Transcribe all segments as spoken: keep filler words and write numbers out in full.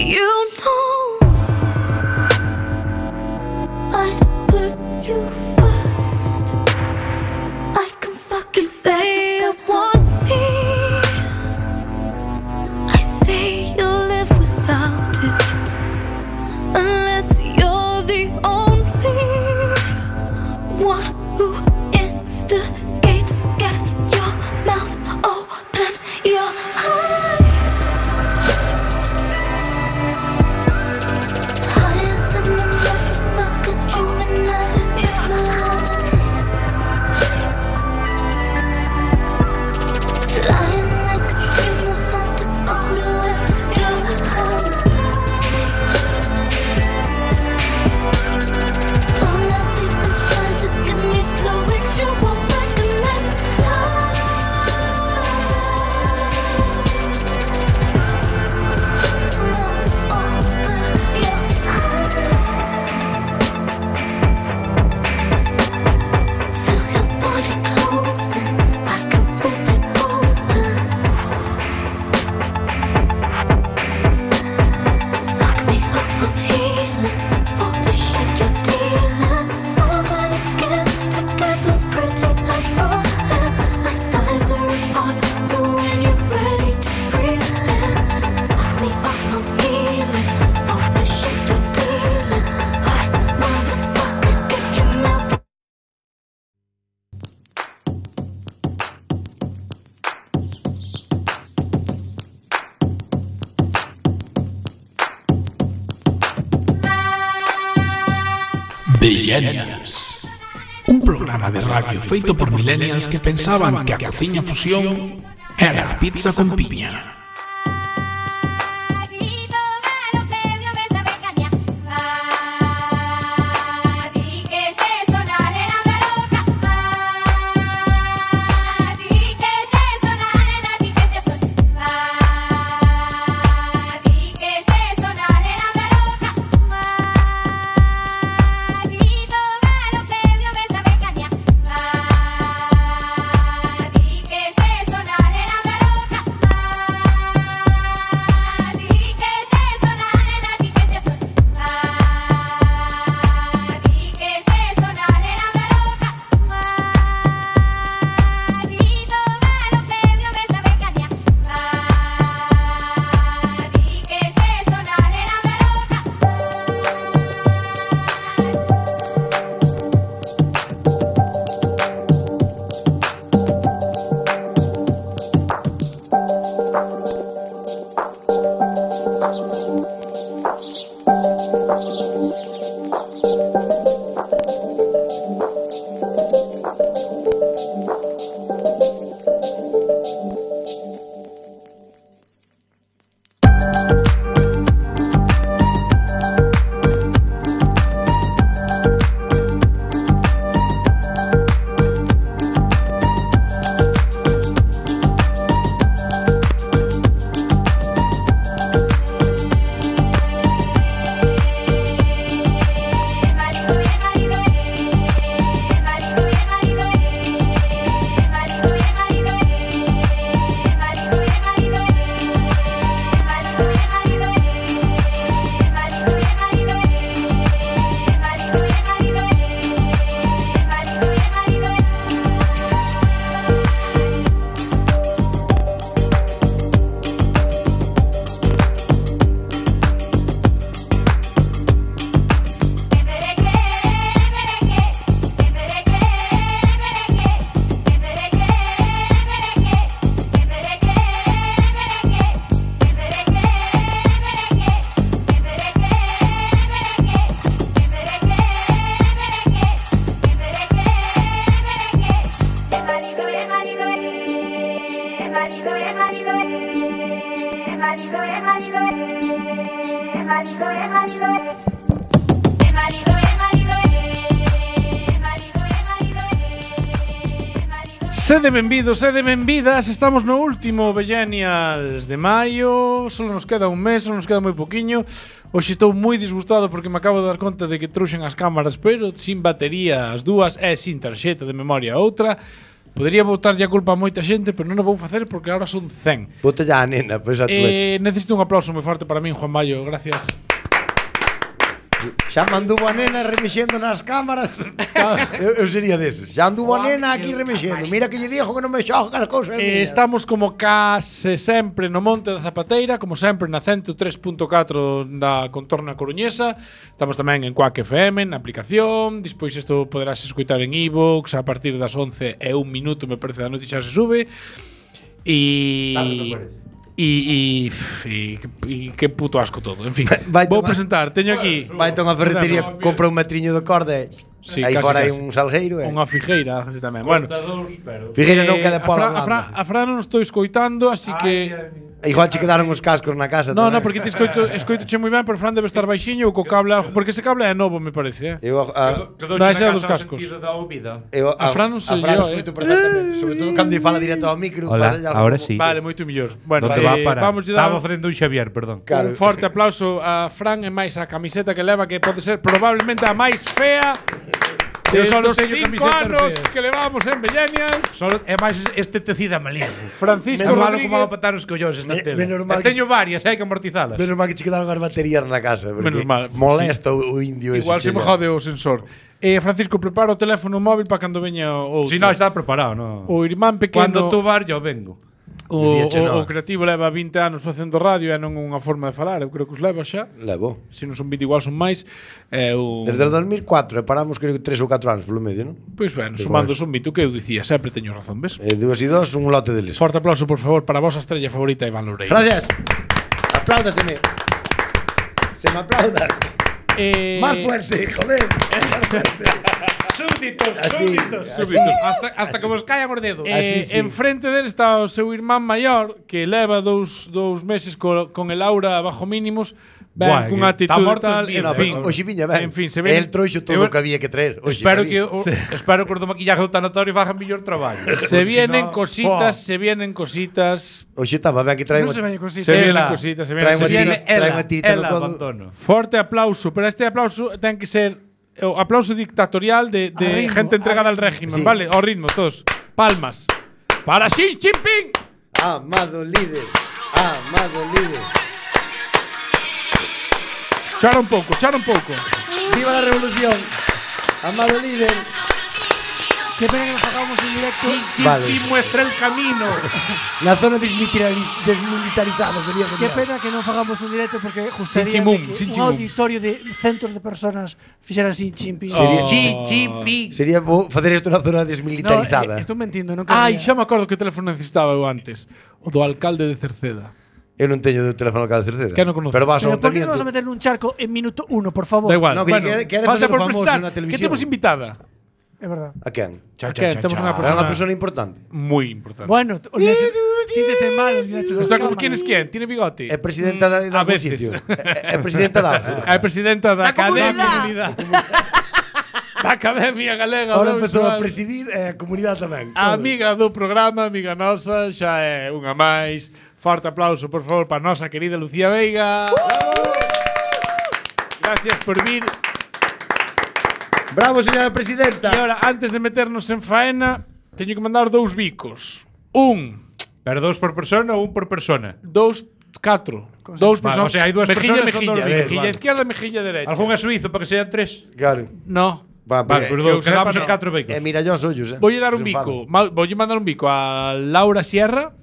You know I'd put you first. I can fucking say you want me. I say you'll live without it, unless you're the only one who instigates. Get your mouth open, your heart higher than a motherfucker dreaming of it. It's my heart flying like a stream of something. All there is to do is hover. All that deep inside, so give me two weeks. You won't recognize the heart. Mouth open, your heart. Feel your body closing. I can rip it open. Suck me up, I'm healing for the shit you're dealing. Small body skin to get those pretty eyes rolling. My thighs are apart, but when you're ready to breathe in, suck me up, I'm healing for the shit you're dealing. Alright, motherfucker, get your mouth. Millennials. Un programa de radio feito por millennials que pensaban que a cociña fusión era a pizza con piña. Sede benvidos, sede benvidas. Estamos no último Millennials de maio. Só nos queda un mes, só nos queda moi poquiño. Hoxe estou moi disgustado porque me acabo de dar conta de que trouxen as cámaras, pero sin batería as dúas e sin tarxeta de memoria a outra. Podería botarlle a culpa a moita xente, pero non o vou facer porque agora son cen. Bote ya a nena, pois a tu Eh, necesito un aplauso moi forte para min, Juan Mayo. Gracias. Xa manduvo a nena remexendo nas cámaras. eu, eu sería deses. Xa anduvo a nena aquí remexendo. Mira que lle dixo que non me xoga as cousas Eh, mías. estamos como case sempre no Monte da Zapateira, como sempre na ciento tres punto catro da contorna coruñesa. Estamos tamén en Quack F M, na aplicación. Despois isto poderás escoitar en iVoox a partir das once e un minuto, me parece, da noite xa se sube. E E, e, e, e que puto asco todo. En fin, Vai vou tomar- presentar. Teño aquí Vai a unha ferretería, compra un metriño de corda. Sí, aí casi, fora hai casi. un salgueiro. Eh. unha figueira tamén. Bueno, Figueira non eh, queda a pola Fran, a Fran, blanda. a Fran non estou escoitando, así que Igual che quedaron os cascos na casa. No, tamén. no, porque te escoito, escoito che moi ben, pero Fran debe estar baixiño ou co cable algo, porque ese cable é novo, me parece, eh. Eu a, No, ese é dos cascos. eu A Fran non sei a Fran yo, escoito eh. perfectamente, sobre todo cando lle fala directo ao micro. Hola, pásalle algo ahora como- sí. Vale, moito mellor. Bueno, ¿Dónde eh, va a parar? vamos a dar Estaba facendo un Xavier, perdón. Claro. un forte aplauso a Fran e máis a camiseta que leva, que pode ser probablemente a máis fea de Eu solo dos teño cinco camisetas anos feas. que levamos en Millennials. Solo é máis este tecido amalín. Francisco É malo Rodríguez. como va a patar os collóns esta Me- tela. menos mal E teño varias, hai que amortizalas. Menos mal que che quedaron as baterías na casa. porque Menos mal. Molesta o, o indio ese. Igual se me chega. jode o sensor. Eh, Francisco, prepara o teléfono móvil para cando veña o outro. Si no, está preparado, no. O irmán pequeno. Cando tú vas, yo vengo. O, Dicíache o, no. o creativo leva vinte anos facendo radio e non unha forma de falar, eu creo que os leva xa. Levo. Se non son vinte igual son máis. É o Desde o dos mil cuatro, e paramos creo que tres ou catro anos polo medio, non? Pois ben, Pois sumando vamos. son vinte, o que eu dicía, sempre teño razón, ves? E dúas e dos, un lote deles. Forte aplauso, por favor, para a vosa estrella favorita, Iván Loureiro. Gracias. Apláudaseme. Se me aplauda. Eh, Más fuerte, joder. Más fuerte. Súbditos, Así, súbditos, así. súbditos. Hasta, hasta que vos caian os dedos. Eh, Así, sí. Enfrente dele está o seu irmán maior, que leva dous, dous meses co, con el aura bajo mínimos, ben, Buah, cunha que está actitud morto tal, en vida, en fin. O xiviña ben. En fin, se ven- El trouxo todo eu- o que había que traer. Oxe, Espero David. que o, espero que os do maquillaje do tanatorio fagan mellor traballo. Se Porque vienen si no- cositas, Buah. se vienen cositas. Oxe, estaba ben que traen. Non se veña cositas. Se vienen Ela. cositas, se Trae vienen unha se viene- tira- trae unha tirita no ela, codo. abandono. Forte aplauso, pero este aplauso ten que ser o aplauso dictatorial de, de A ritmo, gente entregada al régimen, Sí. ¿vale? Ao ritmo, todos. Palmas. Para Xi Jinping. Amado líder. Amado líder. Chora un pouco, chora un pouco. Viva la revolución. Amado líder. Que pena que nos pagamos en directo. Chi, Vale. chi muestra el camino. La zona desmilitari- desmilitarizada sería Que genial. pena que non fagamos un directo porque gustaría Sinchimum, que sinchimum. un auditorio de centos de personas fixeran así chimping. Sería- Chi, chi, pi. Sería bo facer isto na zona No, desmilitarizada. eh, estou mentindo, non Ai, quería. xa me acordo que teléfono necesitaba eu antes. O do alcalde de Cerceda. Eu non teño de teléfono cada Cerceda. Que non conoces. Pero vas ao Pero por que non ayuntamiento. vas a meter nun charco en minuto uno, por favor? Da igual. No, que bueno, quere- quere falta facer o por famoso presentar. na Que televisión. temos invitada. É verdad. A quen? Cha, Que cha, cha, temos cha. unha É persona unha persona importante. moi importante. Bueno, olvídate. Síntete mal, olvídate. Está como quién es quién, tiene bigote. É presidenta da, a da algún veces. sitio. É, é presidenta da AFO. É presidenta da Da Academia comunidade. da Academia Galega Ahora do empezou a Visual. presidir e a comunidade tamén. A todo. amiga do programa, amiga nosa, xa é unha máis. Forte aplauso, por favor, para a nosa querida Lucía Veiga. Gracias por vir. Bravo, señora presidenta. E ahora, antes de meternos en faena, teño que mandar dous bicos. Un, Pero dos por persona ou un por persona? dous, catro. Dous Vale, personas. o sea, hai dúas mejilla, personas con mejilla, dous bicos, mejilla vale. izquierda, mejilla derecha. Algún é suizo para que sean tres? Claro. No. Va, Vale, porque- pero que eu dous, quedamos sepa, en no. catro bicos. E mira yo os ollos, eh. Voy a dar un Se bico. enfadan. Ma- Voy a mandar un bico a Laura Sierra.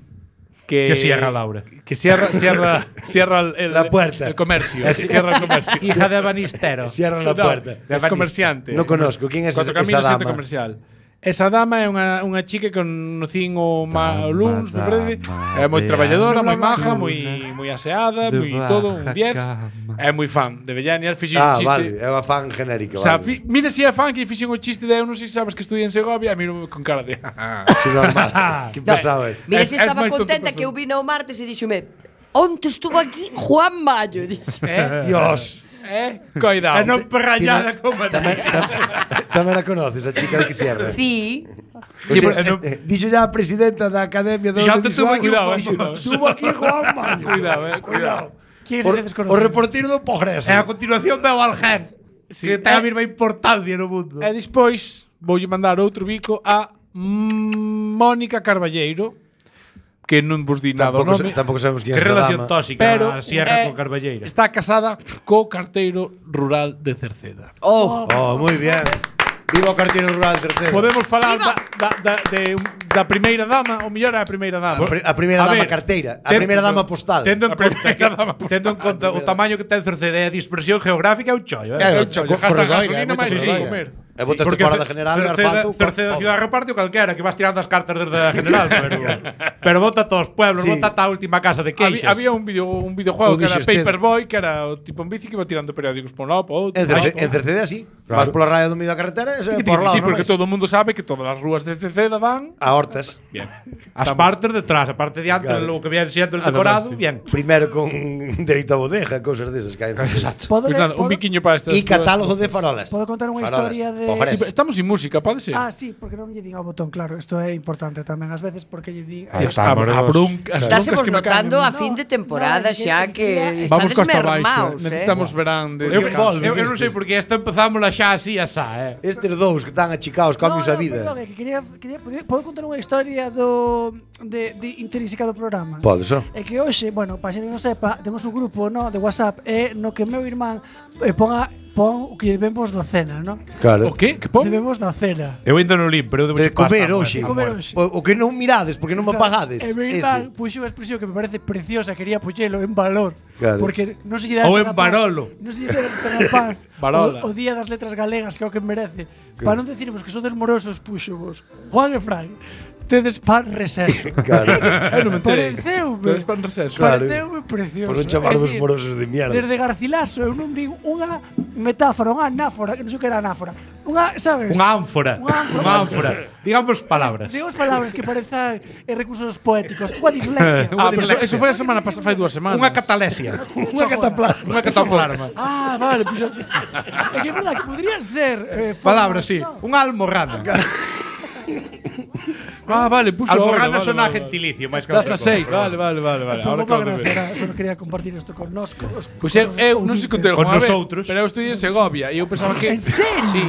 Que, Que cierra Laura. Que cierra, cierra, cierra el, el- La puerta. El comercio. Cierra el comercio. Hija de Banistero. Cierran la No, puerta. Es comerciante. No conozco. ¿Quién es Cuatro esa, esa Caminos, centro dama? comercial. Esa dama é unha, unha chica que conocín o ma, o luns, me parece. É moi de traballadora, moi Ana maja, Luna, moi moi aseada, de moi todo, un baja diez. cama. É moi fan de Bellanias, fixen un Ah, chiste. vale. É unha fan genérica. O sea, vale. fi, mira si é fan que fixen un chiste de eu non sei se sabes que estudié en Segovia, e miro con cara de Sí, normal. Que pasaba es? Mira, Es- se es estaba máis tonto contenta persona. que eu vine o martes e díxome onte estuvo aquí Juan Mayo. Dixo. eh, Dios. eh, coidado. E non perrallada Tiene- como Tamén, tam- tamén la conoces, a chica de que cierra. Sí. Sí, pues, eh, dixo ya a presidenta da Academia do Xa te tuvo Audiovisual, aquí, cuidado, dixo, eh, cuidado. Tuvo aquí Juan Mayo. Cuidado, eh, Cuidado. ¿Quién es O, ese o desconocido? reportero do Progreso. E a continuación veo al gen. Sí. Que ten a Eh, mesma importancia no mundo. E despois voulle mandar outro bico a mm, Mónica Carballeiro, que non vos di nada o Tampouco, nome. sa- tampouco sabemos quién Que é esa relación dama. tóxica Pero a Sierra eh, con Carballeira. está casada co carteiro rural de Cerceda. Oh, Oh, moi bien. Viva o carteiro rural de Cerceda. Podemos falar da, da, da, de, da primeira dama, ou mellor é a primeira dama. A, pri- a primeira A dama ver, carteira, a ten- primeira dama postal. Tendo en A conta primeira que, dama postal. tendo en conta o tamaño que ten Cerceda e a dispersión geográfica é un chollo, eh? É, un chollo, co- gasta corredor, gasolina é moito máis que corredor. comer. E botaste Porque fora Ce- da general e Cerceda, asfalto. Cerceda ciudad reparte o calquera, que vas tirando as cartas desde a general, pero pero bota a todos os pueblos, Sí. bota ata a última casa de Había, queixas. había un video un videojuego O que era dixeste. Paperboy, que era o tipo en bici que iba tirando periódicos por un lado, por outro. En, por Cerce, outro. en Cerceda sí. Vas pola raya do medio da carretera e se por lá, Sí, non porque vais. todo o mundo sabe que todas as rúas de Cerceda dan. A hortas. Bien. As partes detrás, a parte de antes, Claro. lo que viene siendo el Ah, decorado, sí. bien. Primeiro con dereito a bodega, cousas desas que hai. Exacto. Podo, Pues le- nada, un podo- biquiño para estas. E catálogo de farolas. Podo contar unha Farolas, historia de- pojares. Sí, estamos sin música, pode ser. Ah, sí, porque non lle din ao botón, claro. Isto é importante tamén ás veces porque lle din. Ahí Dios, está, a, a morenos. bronca, as estásemos broncas que me caen notando en- a fin de temporada no, é que- xa é que que Vamos estades costa baixa. mermaos, eh? Necesitamos verán de Eu, descanso. eu, eu non sei porque esta empezamos xa así, asá, eh. Estes dous que están achicados, cambios no, a no, vida. Perdón, é que quería, quería, poder- podo contar unha historia do de, de intrínseca do programa. Pode só. É que hoxe, bueno, para xente que non sepa, temos un grupo, no, de WhatsApp e no que meu irmán eh, ponga pon o que vemos do cena, no? Claro. O que? Que pon? Debemos da cena. Eu ainda non lim, pero eu debo De comer pasta, hoxe. De comer hoxe. O, o que non mirades, porque non me pagades. E meu Ese. irmán puxo unha expresión que me parece preciosa, quería puxelo en valor. Claro. Porque non se lle dá Ou esta en paz- Barolo. Non se lle dá esta paz. Barola. O, o día das letras galegas que é o que merece. Para non decirmos que sodes morosos, puxo vos. Juan e Fran, tedes pan receso. Claro. Eu non me enterei. Pareceume. Tedes pan receso. Claro. Pareceume precioso. Por non chamarvos É dicir, morosos de mierda. Desde Garcilaso eu non vi unha metáfora, unha anáfora, que non sei o que era anáfora. Unha, sabes? Unha ánfora. Unha ánfora. Unha ánfora. Digamos palabras. Digamos palabras que parezan eh, recursos poéticos. Unha dislexia. Ah, pero eso, eso foi a semana pasada, fai dúas semanas. Unha catalesia. Unha cataplasma. Unha cataplasma. Ah, vale, pues É que é verdad que podrían ser eh, Palabras, formas, sí. ¿no? Unha almorrana. Ah, vale, puxo Almorrana vale, sona vale, gentilicio, máis que vale. outra Daza seis, cosa. vale, vale, vale, vale. Pouco Ahora má acabo de gracia, ver. era, só quería compartir isto con nos. Con os, Pois eu, eu non sei contei Con alguna vez, nosotros. pero eu estudiei en Segovia e eu pensaba que En serio? Sí.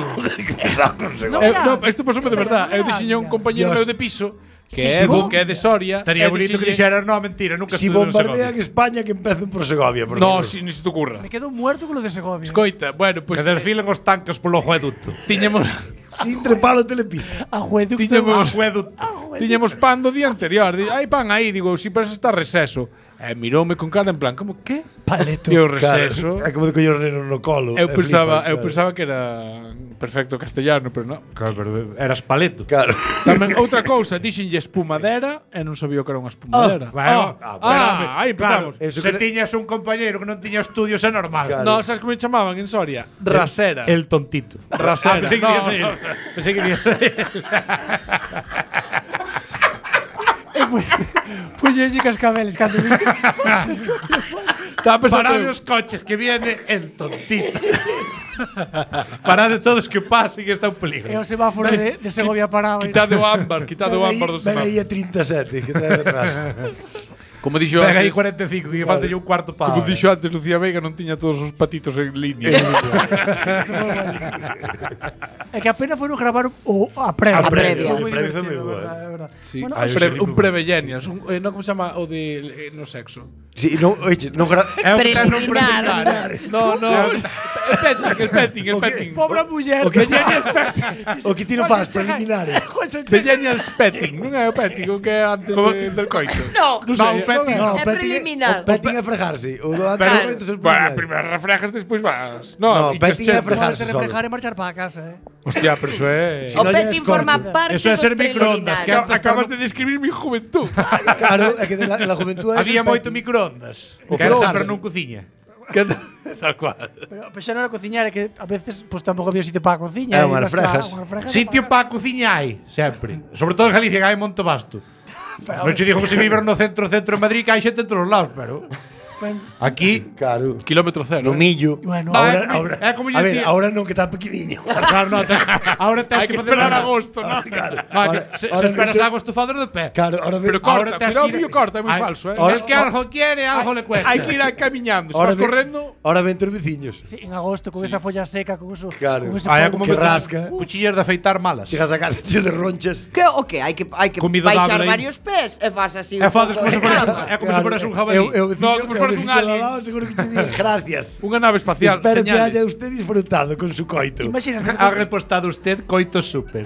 No, Eu, mira. no, isto pasoume de verdad. Eu dixiño a un compañeiro Dios. meu de piso que Sí, é sí, bo, bo. que é de Soria. Estaría e bonito que dixenlle- dixeras, no, mentira, nunca Si estuve en bombardean Segovia. España, que empecen por Segovia. Por No, favor. si, ni se te ocurra. Me quedo muerto con lo de Segovia. Escoita, bueno, pois Que desfilen os tanques polo acueducto. tiñemos Sin trepalo telepisa. Ajueducto. Tiñamos- Acueducto. tiñamos pan do día anterior. Di, hai pan aí, digo, si pero está receso. E miroume con cara en plan, como que? Paleto. E o Claro. receso. É como de coño neno no colo. Eu E pensaba, flipas, eu claro. pensaba que era perfecto castellano, pero non. Claro, pero eras paleto. Claro. Tamén outra cousa, dixenlle espumadera e non sabía o que era unha espumadera. Bueno, ah, bueno, ah, aí Claro, empezamos. Eso se que- tiñas un compañeiro que non tiña estudios é normal. Claro. No, sabes como me chamaban en Soria? Rasera. El tontito. Rasera. Ah, pensei que No. ibas a ir. Pensei que ibas a ir. Pues yo sí cascabeles cando vi. Estaba pensando Parade os coches que viene el tontito. Parade todos que pasen que está un E peligro. o semáforo de, de Segovia parado. quitade o ámbar, quitade o Ven aí- ámbar do ven aí semáforo. a trinta e sete, que trae detrás. Como dixo Venga aí antes, cuarenta e cinco, que falta yo un cuarto para. como dixo antes Lucía Veiga non tiña todos os patitos en línea. É que apenas foron gravar o a previa. A previa. Foi moi A previa foi divertido, moi boa. verdad, é verdad. Sí, Bueno, un, Ay, pre, sí, un muy prevellenials, un, eh, no como se chama o de eh, no sexo. Sí, non, oye, non gra... É o que ten un Preliminar. preliminar. No, no, el petting, el petting, el O que- petting. Pobre muller. O que- Bellenias petting. O que ti non faz, preliminares. Bellenials petting, non é o petting, o que é antes de, del coito. No, Non No, sei, un petting, non é. No, É petting preliminar. O petting é frejarse. O do antes Pero- do momento son Bueno, preliminares. primeiro refrejas, despois vas. No, No, y petting que é che- frejarse Te solo. reflejar e marchar para casa, eh. Hostia, pero eso é... Si o no, ya petting es corto. forma parte Eso é dos ser microondas, que preliminares. Acabas de describir mi juventud. Claro, é que de la, de la juventud é Había el moito petting. microondas. O Que era frejarse. pero non cuciña. Tal cual. Pero, pero xa non era cociñar, é que a veces pues tampouco había sitio para a cociña. É, e unhas ibas ca- frejas. unhas frejas Sitio para para cociña hai, sempre. Sobre todo en Galicia, que hai Monte Basto. Non che digo que se viver no centro, centro de Madrid, que hai xente en todos os lados, pero... Ben, Aquí, Claro. Kilómetro cero. No eh. millo. Bueno, Ah, Ahora, é como- ahora, é como lle a ver, dicía- ahora non que está pequeniño. claro, no, te, ahora tens Hai que facer esperar máis. agosto, ¿no? Claro. No, é que Ahora- se, ahora se esperas dentro- agosto fader de pé. Claro, ahora Pero ve- corta, Ahora tens cuidado, que ir- millo corta, é moi Ay, falso, eh. ahora- El que algo quiere, algo le cuesta. Hai que ir camiñando. Se ahora vas ve- correndo, Ahora ven tus veciños. sí, en agosto con esa folla seca, con eso, Claro. con ese Ah, é polvo como que que metes rasca. cuchillas de afeitar malas. Chegas a casa tío de ronchas. Que o que hai que hai que Comido baixar doble aí. varios pés e fas así. É un faces pouco como se de fueras un, cama. é como se fueras un jabalí. Eu, eu veciño, No, como se eu fueras un veciño de alien. al lado, seguro que te diga gracias. unha nave espacial, Espero que señales. haya usted disfrutado con su coito. Imaginas, Ha repostado usted coito super.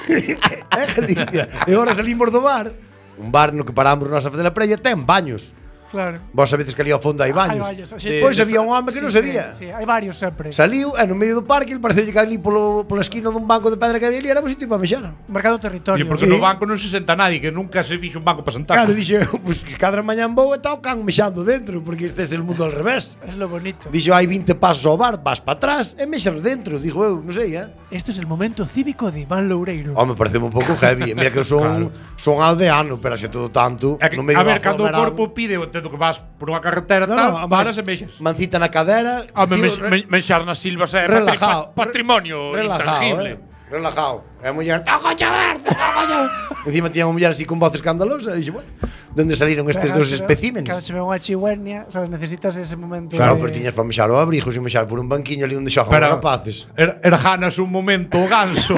É Galicia. E agora salimos do bar. Un bar no que paramos nós a fazer a previa ten baños. claro. Vos sabedes que ali ao fondo hai baños. Hai baños, a xente- Pois había un home que non Sí, sabía. Sí, hai varios sempre. Saliu e no medio do parque, ele pareceu que ali polo, pola esquina dun banco de pedra que había ali era un sitio para mexar. Marcado territorio. E porque Sí. no banco non se senta nadie, que nunca se fixo un banco para sentar. Claro, dixe, pues cada mañán vou e está o can mexando dentro, porque este é o mundo al revés. Es lo bonito. Dixo, hai vinte pasos ao bar, vas para atrás e mexas dentro. Dixo eu, non sei, eh? Esto es el momento cívico de Iván Loureiro. Home, parece un pouco heavy. Mira que eu son, son aldeano, pero xe todo tanto. É que, no medio a ver, do cando o aglomerado. corpo pide, eu entendo que vas por unha carretera No, tal, no, paras mas- e mexas. Mancita na cadera. Home, tío, men- re- men- menxar nas silvas é relajado. patri- patrimonio relajado, intangible. eh. Relajado. E a muller, toco chaverto, toco chaverto. Encima tiña unha muller así con voz escandalosa. E dixo, bueno, donde salieron estes Pero dos cando se ve- especímenes? Cando se ve unha chigüenia, sabes, necesitas ese momento Claro, de... pero tiñas para mexar o abrigo, sin mexar por un banquiño ali onde xogan os Pero- rapaces. Er, erjanas un momento o ganso.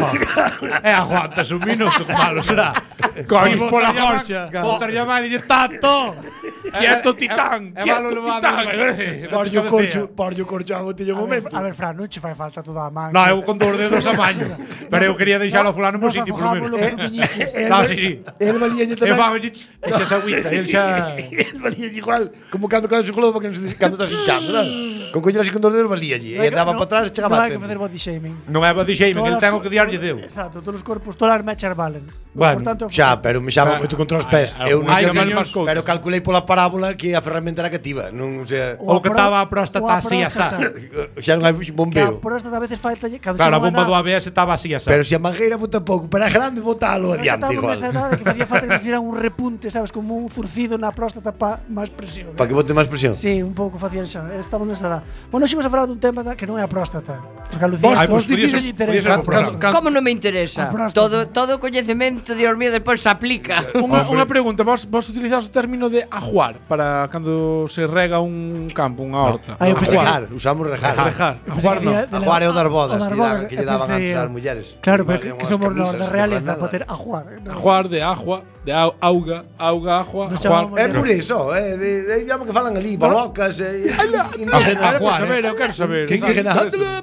E aguantas un minuto, que malo será. Cois E pola botar gorxa. llama- Botar llamada e dices, tato. Quieto, titán, É malo quieto, levado. titán. Porlle o corcho, porlle o corcho a botella un A ver, momento. a ver, Fran, non che fai falta toda a man. No, eu con dos dedos a maña. Pero eu quería deixar ao fulano por sitio, por lo menos. El, No, sí, sí. el valíalle E tamén. fa, e xa se agüita, e el xa... El valíalle igual, como cando cando se globo que non se cando estás hinchando, sabes? Con coño así con dos dedos valíalle. E andaba para atrás e Non chegaba hai a que tempo. facer body shaming. Non é body shaming, el Todas ten o as que co- diarlle deu. Exacto, todos os corpos, todas as mechas valen. Bueno, Por tanto, Xa, pero me xaba moito contra os pés. Ai, Eu non ai, sei mal que- máis couto. pero calculei pola parábola que a ferramenta era cativa, non, o sea, O que pro- estaba a próstata ou a así, asá. próstata. xa non hai Que a bombeo. próstata a veces falta cando Claro, a chega bomba unha do edad- A B S estaba así, asá. Pero se a mangueira bota pouco, pero é grande botalo Pero xa adiante estamos igual. nesa edade que facía falta que hicieran un repunte, sabes, como un zurcido na próstata para máis presión. Para que bote máis presión. Sí, un pouco facían xa. Estamos nesa edad. Bueno, ximos a falar dun tema da- que non é a próstata. Porque a Lucía Vos- Ai, vos pois podía dicides- ser- podía ser interesa. o programa. Can- Como non me interesa? A próstata. Todo todo o coñecemento, Dios mío, despois se aplica. Unha, unha pregunta, vos, vos utilizades o término de ajuar para cando se rega un campo, unha horta? Ah, eu pensei que- Rejar, usamos rejar. Rejar. Eu pensei Ajuar que non. decía de la- Ajuar é o dar bodas, o dar que, da, bodas, que lle eu daban pensei, antes eh, ás mulleres. Claro, Que pero que, valían que unhas somos los camisas da de realeza franela. para ter ajuar. ¿no? Ajuar de agua, de au, auga, auga, agua, Nos ajuar. chamamos É por iso, é de, de idioma que falan ali, balocas, eh, indígenas. Quero Ajuar, saber, eh. eu quero saber. Que indígena?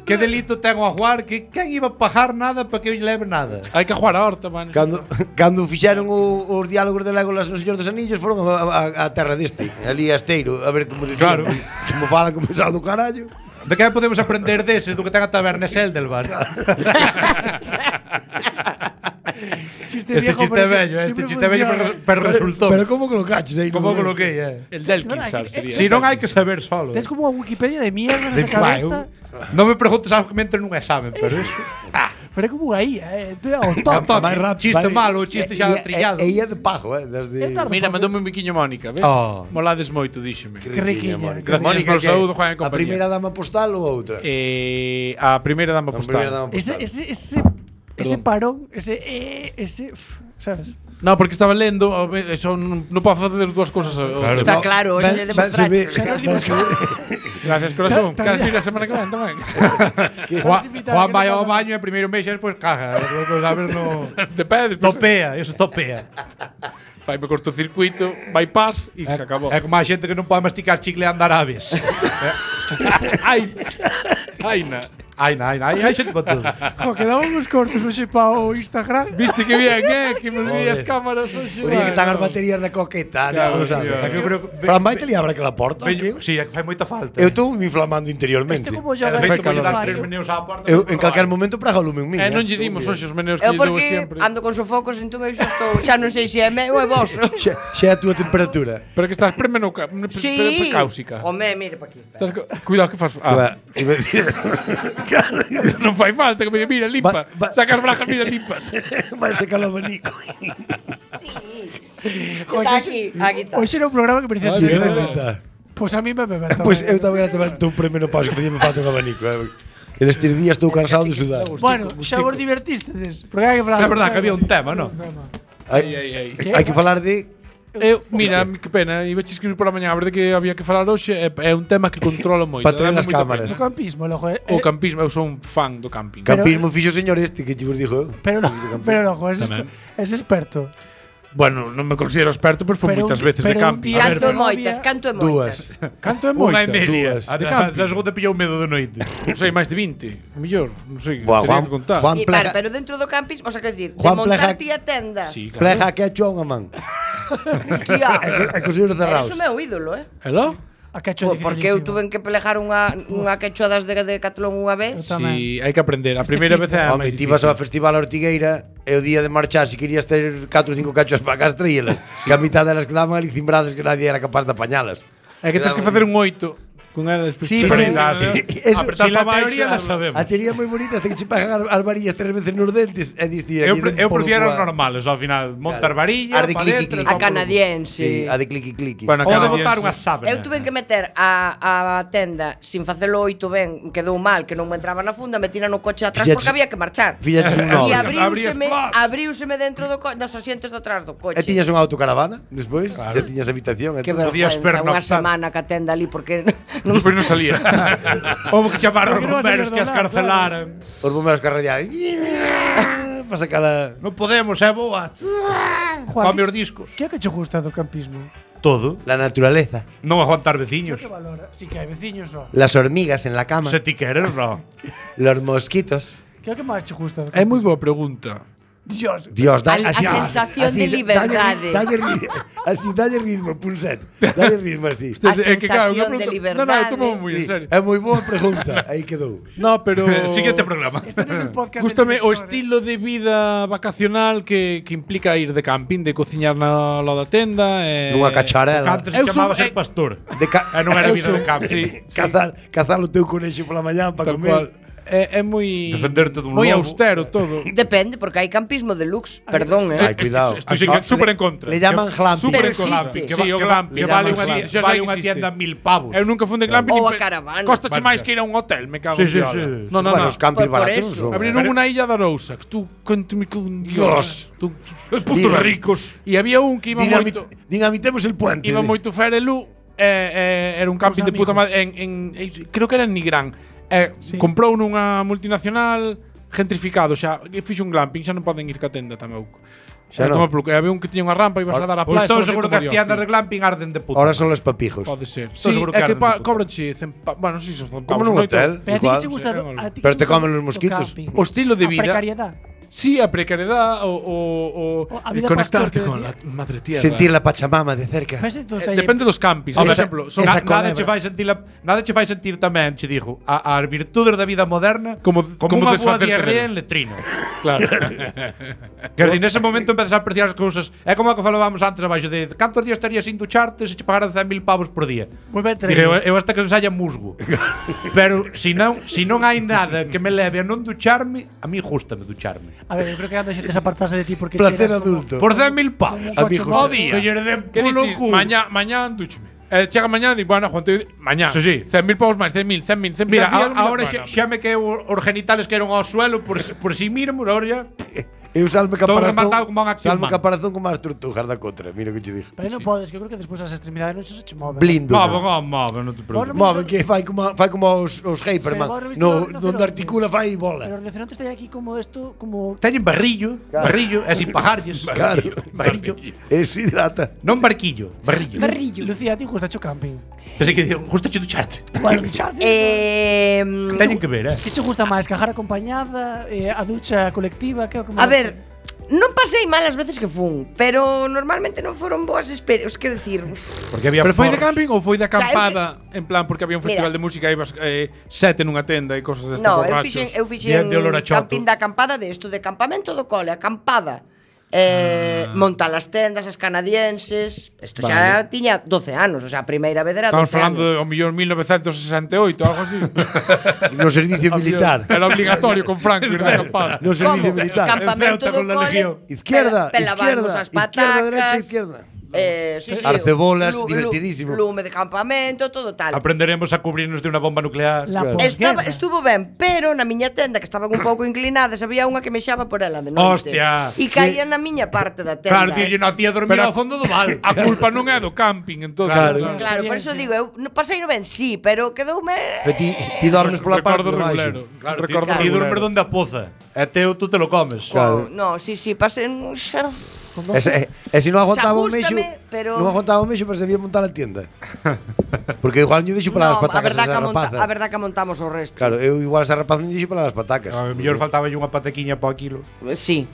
Que delito ten o ajuar que quen iba a pagar nada para que eu lle leve nada? Hai que ajuar a horta, man. Cando, cando fixeron o, os diálogos de Legolas no Señor dos Anillos foron a, a, a terra deste, ali a Esteiro, a ver como dicían, Claro. como falan como sal do carallo. De que podemos aprender dese do que ten a taberna Seldelbar? Chiste Este viejo, chiste pero vello, siempre este chiste vello, funciona. pero, pero resultou. Pero como colocaches aí? Como no- coloquei, eh? El del No, Kinsar no, sería. Si non hai que saber solo. Tens como unha Wikipedia de mierda De- nesa vai, cabeza. eu- Non me preguntes algo que me entre nun examen, pero eso. Pero é como unha I A, eh. Te ao Ao toque. toque. Máis rápido, Chiste vai- malo, chiste xa e- e- trillado. E ia de pajo, eh, desde É tarde. Mira, mandoume un biquiño Mónica, ves? Oh. Molades moito, díxeme. Que riquiña. Mónica. Gracias Mónica, polo que saúdo, Juan, e a compañía. primeira dama postal ou a outra? Eh, a primeira dama A primeira postal. dama Ese, postal. ese, ese, ese Perdón. parón, ese, eh, ese, uf, sabes? No, porque estaba lendo, a ver, eso non, non podo facer dúas cousas. ao- ao- Está claro, hoxe Ben- le ben se ve- demostraste. ben se ve- Gracias, corazón. Ta- Queres ta- vir a semana que ven tamén? Juan, invitar, Juan que vai non ao pasa. baño e primeiro mexe e despois caga. Despois, a ver, no... De pé, despois Topea, eso topea. faime cortocircuito, bypass e se acabou. É como a xente que non pode masticar chicle e andar aves. Ai, ai, na. Ai, ai, ai, hai xente para todo. Jo, quedaban uns cortos hoxe para o Instagram. Viste que bien, eh? Que me vi as Joder. cámaras hoxe. O día que están as Bueno. baterías na coqueta, Claro, non sabes. tío. É que eu creo que- Fran, vai te liabra aquela porta, Veño, tío? sí, é que fai moita falta. Eu estou me inflamando interiormente. Este como É xoga feito Fai para calor. dar tres meneos á porta. Eu non en por calquer baixo. momento praga o lume un min. Eh, eh. non lle dimos hoxe os meneos que Eu lle dou porque sempre. ando con sofocos, entón eu xa estou, xa non sei se é meu ou é vosso. Xa, xa é a túa temperatura. Pero que estás premenoca, pre, pre, Sí. precáusica. Home, mire pa aquí. Estás co- Cuidado que fas. Ah, Va, iba a decir- Claro, non fai falta que me diga, mira, limpa. Va- va- Saca as brajas, mira, limpas. vai secar o abanico. Está aquí, aquí está. Hoxe era un programa que parecía Sí, así. neta. Pois a mí me bebe. Pois eu tamén levanto un premenopausia que facía me falta un abanico. eh. En estes días estou cansado de sudar. Bueno, xa vos divertistedes. Porque hai que falar. É verdad que había un tema, non? Ai, ai, ai. Hai que falar de Eu, mira, que pena, iba a escribir por a mañá, a verdade que había que falar hoxe, é, é un tema que controlo moito. Patrón dame das moita cámaras. O pena. campismo, logo. Eh, O campismo, eu sou un fan do camping. campismo fixo o señor este que che vos dixo eu. Pero, pero logo, es, Tamén. es experto. Bueno, non me considero experto, pero fui Pero moitas un- veces de pero un camping. día- A ver, Canto pero moitas, novia- canto Dúas. moitas. canto é Unha moita. e media. Dúas. A De da- camping. da segunda pillou medo de noite. Non sei, máis de vinte, mellor, non sei, Buah, tería Juan- que contar. Juan- E, Plega- vale, pero dentro do camping, o sea, quer decir, de Juan montar Plega- ti a tenda. Sí, claro. Pleja que hecho a unha man. Tía, E cos ollos cerrados. Eso é meu ídolo, eh? Hello? A que hecho Po- Porque eu tuve que pelejar unha, unha quechua das de, de Catalón unha vez. Eu tamén. Sí, hai que aprender. A primeira vez é a Home, máis ti vas ao difícil. festival a Ortigueira e o día de marchar, se querías ter catro ou cinco cachos para casa, traíelas. Que a mitad delas quedaban ali cimbradas que nadie era capaz de apañalas. É que tens que facer un oito con ela despois. Sí, te pero- prendas, sí, eh. eso- Apretar Si la pa baixo, teoría la a- sabemos. A teoría é moi bonita, hasta que se pegan as- as varillas tres veces nos dentes e diste Eu, pre, eu prefiero os normales, ao final. Montar varilla, As de pa cliqui, dentro. cliqui. A canadiense. Sí, a de cliqui cliqui. Bueno, Ou de canadiense. botar unha sábana. Eu tuve que meter a, a tenda sin facelo oito ben, quedou mal, que non me entraba na funda, metina no coche atrás Fixeches- porque había que marchar. Fixeches un E nove. abriuseme, Abrías- abriuseme dentro do co dos asientos de atrás do coche. E tiñas unha autocaravana despois? Já tiñas habitación e Que todo. Podías vergüenza, unha pernoctar. semana que a tenda ali porque non Despois non salía. Houve que chamar aos Porque non vas a bomberos que as perdonar, carcelaran. Os bomberos que arradiaron. Para sacala. Non podemos, é boa. Juan, Come que- os discos. Que é que che gusta do campismo? Todo. La naturaleza. Non aguantar veciños. Que valora? Si que hai veciños só. Las hormigas en la cama. Se ti queres, no. Los mosquitos. Que é o que máis che gusta do É moi campismo? boa pregunta. Dios. Dios, da, A- a así, sensación de así, liberdade. Dalle, dalle, ri- así, dalle ritmo, pulset. Dalle ritmo así. A É que, claro, unha sensación de pregunta- Non, non, eu tomo liberdade. moi en Sí, serio. é moi boa pregunta. Aí quedou. No, pero Siguiente programa. Este non é un podcast. Gústame de o director, estilo de vida vacacional que, que implica ir de camping, de cociñar na lo da tenda e Nunha cacharela. Antes Eu se chamaba son- ser pastor. De ca E non era Eu vida son- de campo. sí. cazar, cazar o teu conexo pola mañá para Tal comer. cual. É, é moi Defenderte dun moi lobo. austero todo. Depende, porque hai campismo deluxe, perdón, eh. Ai, cuidado. Estoy sí que- súper en contra. Le llaman glamping. Súper en Pero contra. existe. Que, Sí, va- o que, va- glamping. que Le vale llaman unha glamping. ti- Xa vale sei que unha existe. tienda mil pavos. Eu nunca fun de glamping Ou nin a pe- caravana. Costache Vale. máis que ir a un hotel, me cago Sí, en sí, Dios. sí. No, no, Bueno, no. os campings Por- por baratos non eso. son. Abriron unha illa da Rousa, que tú cuéntame con Dios. Tú, Os putos Mira. ricos. e había un que iba Dinamit, moito dinamitemos el puente. iba moito Ferelú e, e era un camping Os de puta amigos. madre en, en, en creo que era en Nigrán. E Sí. comprou nunha multinacional gentrificado xa, e fixo un glamping, xa non poden ir ca tenda tampouco. Xa Xa non. non. E había un que tiña unha rampa e ibas a dar a Pois playa. estou seguro que as tiendas de glamping arden de puta. Ahora son los papijos. Pode ser. Estou Sí, seguro é que que arden pa, de puta. cobranche cen pa, bueno, non sei se son Como pavos, nun noito. hotel. Pero a ti Igual. que che gusta do, a ti que Pero che te gusta comen los do mosquitos. camping? O estilo de A vida. precariedade. Sí, a precariedade o, o, o, O a el vida conectarte pastor, con la te madre tierra. Sentir la Pachamama de cerca. Ves estos Eh, talleres- Depende dos campings. Por Esa- exemplo, son esa Na, nada culebra. che fai sentir la, nada che fai sentir tamén, che digo, a, as virtudes da vida moderna Como- como, como unha boa desfacerte diarrea delas. en letrino. claro. Quer dizer, nese momento empezas a apreciar as cousas. É como a que falábamos antes abaixo de cantos días estarías sin ducharte se che pagaran cen mil pavos por día. Moi ben Dije, eu, traído. eu hasta que se saia musgo. Pero si non, si non hai nada que me leve a non ducharme, a mí gustame ducharme. A ver, eu creo que anda xente se apartase de ti porque Placer chegas como- adulto. Por cen mil pavos. A mí coche justo. Ao día. Que lle den Que polo dices? cu. Mañá, mañá duchme. Eh, chega mañá e di, bueno, Juan, te, mañá. Sí, sí. cen mil pavos máis, cen mil, cen mil, cen mil. Mira, dez días, a, ahora bueno, xa, xa me quedou os genitales que eran ao suelo por, si- por si míramos, ahora ya. Eu salme Todo caparazón. rematado como un acción Salme man. caparazón como as tortugas da contra. Mira o que che dixo. Pero non podes, que eu creo que despois as extremidades non se che moven. Blindo. Move, move, move, non te preocupes. Bueno, Move que fai como fai como os os Hyperman. Pero agora viste No, os donde rinocerontes. articula fai bola. Pero os rinocerontes teñen aquí como esto, como Teñen barrillo, barrillo, e sin pagarlles. Claro. Barrillo. Eso hidrata. Non barquillo, barrillo. Barrillo. Lucía, a ti gusta o camping? Pensei que dicía, gusta che ducharte. Bueno, ducharte. Eh, Teñen que ver, eh. Que che gusta máis, cajar acompañada, eh, a ducha colectiva, que é o que a máis- ver, non pasei mal as veces que fun, pero normalmente non foron boas experiencias, quero dicir, Porque había Pero foi de porros. camping ou foi de sea, eu acampada? En plan, porque había un festival Mira. de música e ibas eh, sete nunha tenda e cosas destas no, eu borrachos. fixen, eu Bien fixen de olor a choto. camping da acampada de isto, de campamento do cole, acampada. eh, montar as tendas, as canadienses. Isto xa tiña doce anos, o sea, a primeira vez era Estamos doce falando anos. de ao millón mil novecientos sesenta e oito, algo así. No servicio militar. Era obligatorio con Franco ir de acampada. No servicio Como? militar. Campamento En Ceuta do con la cole, Legión. Izquierda, pela- pelabarnos izquierda, as izquierda, patacas, derecha, izquierda. Eh, sí, sí, Arcebolas, lu- lu- divertidísimo. Lume de campamento, todo tal. Aprenderemos a cubrirnos de unha bomba nuclear. La Claro. Estaba, posguerra. estuvo ben, pero na miña tenda, que estaban un pouco inclinadas, había unha que mexaba por ela de noite. Hostia. E caía na miña parte da tenda. Claro, dille, no, tía dormir Pero- ao fondo do val. A culpa non é do camping, entón. Claro. Claro, por eso digo, eu no pasei no ben, sí, pero quedoume... Pero ti, ti dormes pola parte Recordo de baixo. regulero. Claro, Recordo ti, ti regulero. dormes donde a poza. É teu, tú te lo comes. Claro. No, sí, sí, pasei... Xa... E se, e se non aguantaba o mexo, Ajústame, pero- non aguantaba o mexo, pero se debía montar a tienda. Porque igual non dixo para as No, a patacas verdad, esa que monta, rapaza. a verdad que montamos o resto. Claro, eu igual esa rapaza non dixo para as patacas. A mellor faltaba unha patequiña para o quilo. Sí.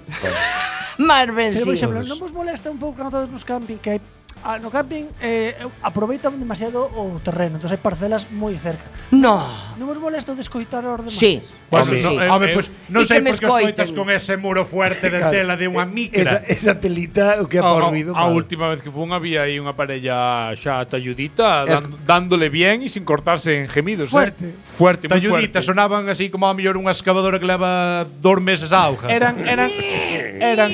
Mas ben, Pero, por sí. exemplo, non vos molesta un pouco cando estades nos camping que hai ah, no camping eh, aproveitan demasiado o terreno, entón hai parcelas moi cerca. No. Non vos molesta o descoitar aos demais? Sí. Bueno, sí. no, eh, home, eh, pois non e sei que me por que os coitas escoiten. con ese muro fuerte de Claro. tela de unha Esa, micra. esa telita, o que é A, por a, ruido, a mal. última vez que fun había aí unha parella xa talludita Es- dan, dándole bien e sin cortarse en gemidos, Fuerte. eh. Fuerte, moi Talluditas fuerte. sonaban así como a mellor unha excavadora que leva dos meses a auga. Eran eran eran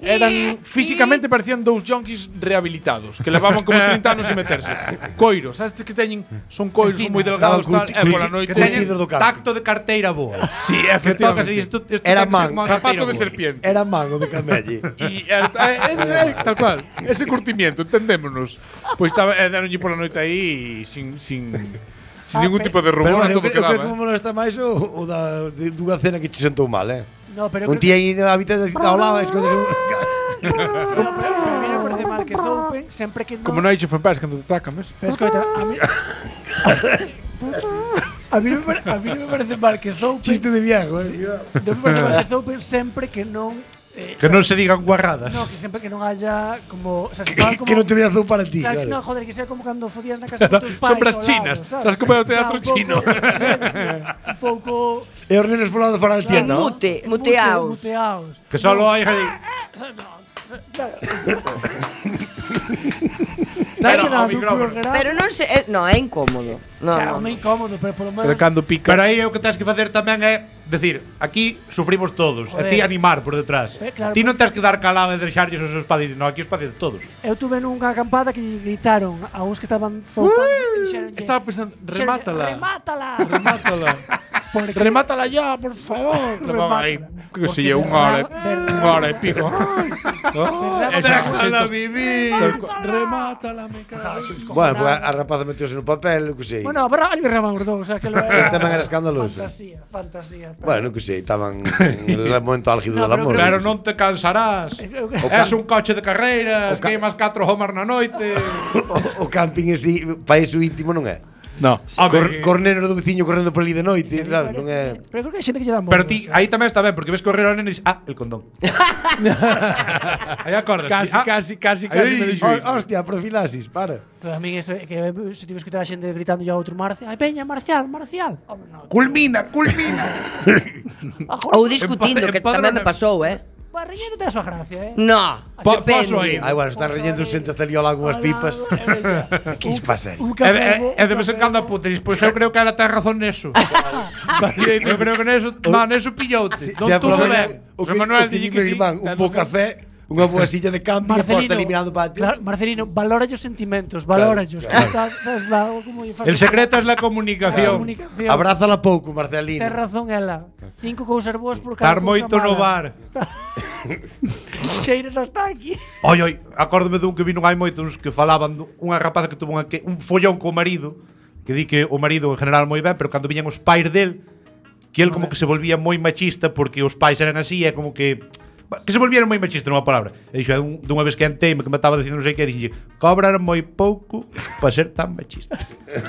eran físicamente parecían dous junkies rehabilitados que levaban como trinta anos sin meterse. Coiros, sabes que teñen son coiros son moi delgados Daban tal, curti- e pola curti- noite que teñen Curtidos do campo. tacto de carteira boa. Sí, Que tocas efectivamente. e dices, tú, isto Era ten que ser man, como unha Zapato carteira de boa. serpiente. Era mango de camelle. E eh, eh, eh, tal cual, ese curtimiento, entendémonos. Pois estaba eh, deronlle pola noite aí sin sin sin Ah, ningún pe- tipo de Pero rumor, bueno, eu, todo creo- eu creo que quedaba. me molesta máis o, o da, de, dunha cena que te sentou mal, eh? No, pero Un tía aí na habitación ao lado, escondes un... No, pero, pero a mí non me parece mal que zoupen sempre que non. Como non hai chef en paz cando te atacan, ves? Pero escoita, a mí A mí non me, pare- a mí non me parece mal que zoupen. Chiste de viejo, eh? Cuidado. Non me parece mal que zoupen sempre que non eh, Que non se digan guarradas. No, que sempre que non haya como, o sea, se fagan como Que non te veas para ti, Claro, que claro. no, joder, que sea como cando fodías na casa dos teus pais. Sombras ao lado, chinas. sabes? Sabes como é o teatro Claro, un chino. pouco de silencio, Un pouco E os nenos polo lado fora da tienda, ¿no? Mute, en muteaos. muteaos. Que solo hai aí. Claro, Pero, Está ao quedando un micrófono. programa. Pero non se, eh, no, é incómodo. No, O sea, no. é incómodo, pero polo Pero menos cando pica. Pero aí o que tens que facer tamén é decir, aquí sufrimos todos, e Joder. ti animar por detrás. Eh, claro, ti non tens que dar calado e deixarlles os seus padres, non, aquí os padres de todos. eu tuve nunha acampada que lle gritaron a uns que estaban zoupando e dixeronlle, Estaba pensando, dixeronlle, remátala. Remátala. Remátala. Porque Remátala ya, por favor. Levaba aí, Remátala. que se Porque lle unha hora, derrama- unha hora e pico. Ay, sí. Oh, esa Déjala xente- vivir. tal cual. Remátala, me cago. Bueno, pues a rapaza meteuse no papel, que sei. Bueno, pero ali berraban os dous, o sea, que lo Este tamén era escandaloso. Fantasía, fantasía. Bueno, que sei, estaban en el momento álgido No, del pero amor. Pero non te cansarás. Eu- Es un coche de carreiras, ca- queimas catro homar na noite. o, o camping así, para iso íntimo non é. No. Cor, corneros do veciño correndo por ali de noite, claro, non é. Pero creo que hai xente que lle dá morbo. Pero ti, aí tamén está ben, porque ves correr ao nene e dices, ah, el condón. Aí acordas. Casi, ah, casi, casi, casi me dixo. Oh, hostia, profilaxis, para. Pero a mí eso, é que se tivo que escutar a xente gritando a outro Marcial. Ai, peña, Marcial, Marcial. Home, no. Culmina, culmina. Ou discutindo, que Empadrona- tamén me pasou, eh. Barriño non ten a súa gracia, eh. No, Pa- depende. paso aí. Ai, bueno, están rellendo xente hasta ali ao lado unhas pipas. Que isto pasa aí? Un E, café. e, e de vez en cando apunta e dices, pois eu creo que ela ten razón neso. Eu creo que neso, no, neso pilloute. Si, Non si tú polo se menos, ben. o que, José Manuel o que dille di que meu sí. irmán, un bo café, unha boa silla de camping e posta eliminando para ti. Claro, Marcelino, valora os sentimentos, valora os. claro. Sabes, sabes, va, como lle fas El a- secreto es la a comunicación. comunicación. Abrázala pouco, Marcelino. Ten razón ela. Cinco cousas boas por cada Estar cousa moito no mala. bar. Xeiras hasta aquí. Oi, oi, acórdome dun que vi non hai moitos que falaban dun- unha rapaza que tuvo unha, que, un follón co marido, que di que o marido en general moi ben, pero cando viñan os pais del, que el como que se volvía moi machista porque os pais eran así, é como que que se volvieron moi machista nunha palabra. E dixo, un, dunha vez que enteime que me estaba dicindo non sei que, dixo, cobrar moi pouco para ser tan machista.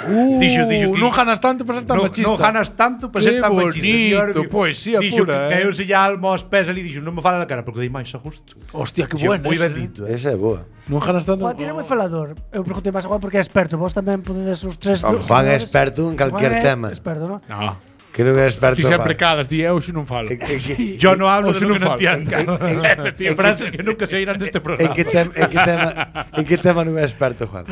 Uh, Dixo, dixo que- non ganas tanto para ser tan non, machista. non ganas tanto para Que ser tan machista. bonito, E ahora digo, poesía dixo pura, que eh. caeu se ya almo aos pés ali, dixo, non me fala na cara porque dei máis a gusto. Hostia, que Dixo, bueno. moi ese, bendito. Esa é boa. Non ganas tanto. Juan tiene moi falador. Eu preguntei máis a Juan porque é experto. Vos tamén podedes os tres. Juan é experto en calquer Juan é tema. Experto, non? No. Que non é experto. Ti sempre vale. calas, di eu xe non falo. En, en, Yo no hablo de Hoxe lo non que no falo. entiendo. Efectivamente. Frases que nunca se irán neste en programa. que tem, en que tema, en que tema non é experto, Juan?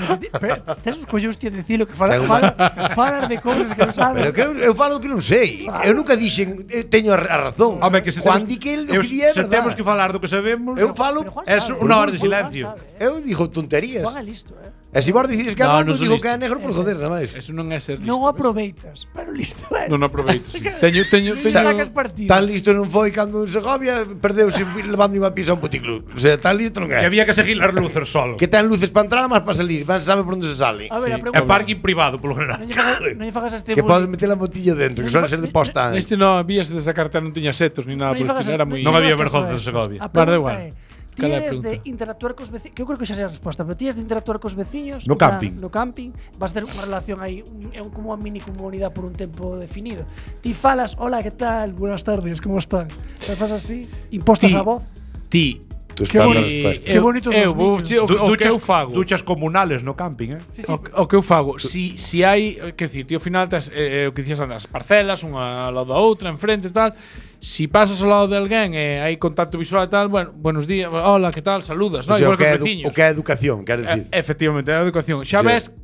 Tes os collóns ti a dicilo que fala, Ten fala, falas de cousas que non sabes. Pero que eu, eu falo que non sei. Eu nunca dixen, eu teño a, a razón. Home, que se Juan temos- di que el do eu- que di é se verdad. temos que falar do que sabemos, Eu falo, Pero Juan es sabe, unha Juan- hora de Juan silencio. sabe, eh. eu digo tonterías. Juan é listo, eh. E se vos decides que é No, blanco, non sou digo listo. que é negro por joder, nada máis. Eso non é ser listo. Non o ves? aproveitas, pero listo é. Non aproveito. Sí. Teño, teño, Non teño, sacas partido. Tan listo non foi cando en Segovia perdeuse levando unha pizza a un puticlub. O sea, tan listo non Que é. había que seguir as luces solo. Que ten luces para entrar, máis para salir. Van sabe por onde se sale. A ver, a É pregunta. parking privado, polo general. Non lle fagas, non lle fagas a este Que podes bullying. meter a motilla dentro, que suele ser de posta. Este non había desde a cartera non tiña setos ni nada, Non lle porque fagas era as- moi Non había lle fagas vergonza caso a en Segovia. estos. A Vale, da pregunta igual. é, ti Cal é a eres de pregunta? interactuar cos veciños, que eu creo que xa sei a resposta, pero ti eres de interactuar cos veciños No na- camping. no camping, vas ter unha relación aí, un, é un, como unha mini comunidade por un tempo definido. Ti falas, hola, que tal? Buenas tardes, como están? Te fas así, impostas Ti- a voz. Ti. Tu Qué espalda boni- resposta. Qué bonitos eu, os vou, niños. che- o, Du- o que duchas, eu fago. duchas comunales no camping, eh? Sí, sí. O, o que eu fago, si, si hai, quer dicir, ti ao final tes, eh, o que dicías antes, as parcelas, unha ao lado da outra, enfrente e tal, si pasas ao lado de alguén e hai contacto visual e tal, bueno, buenos días, hola, que tal, saludas, O no? sea, Igual o que que é os edu- veciños. o que é educación, quero dicir. Eh, efectivamente, é a educación. Xa Sí. ves,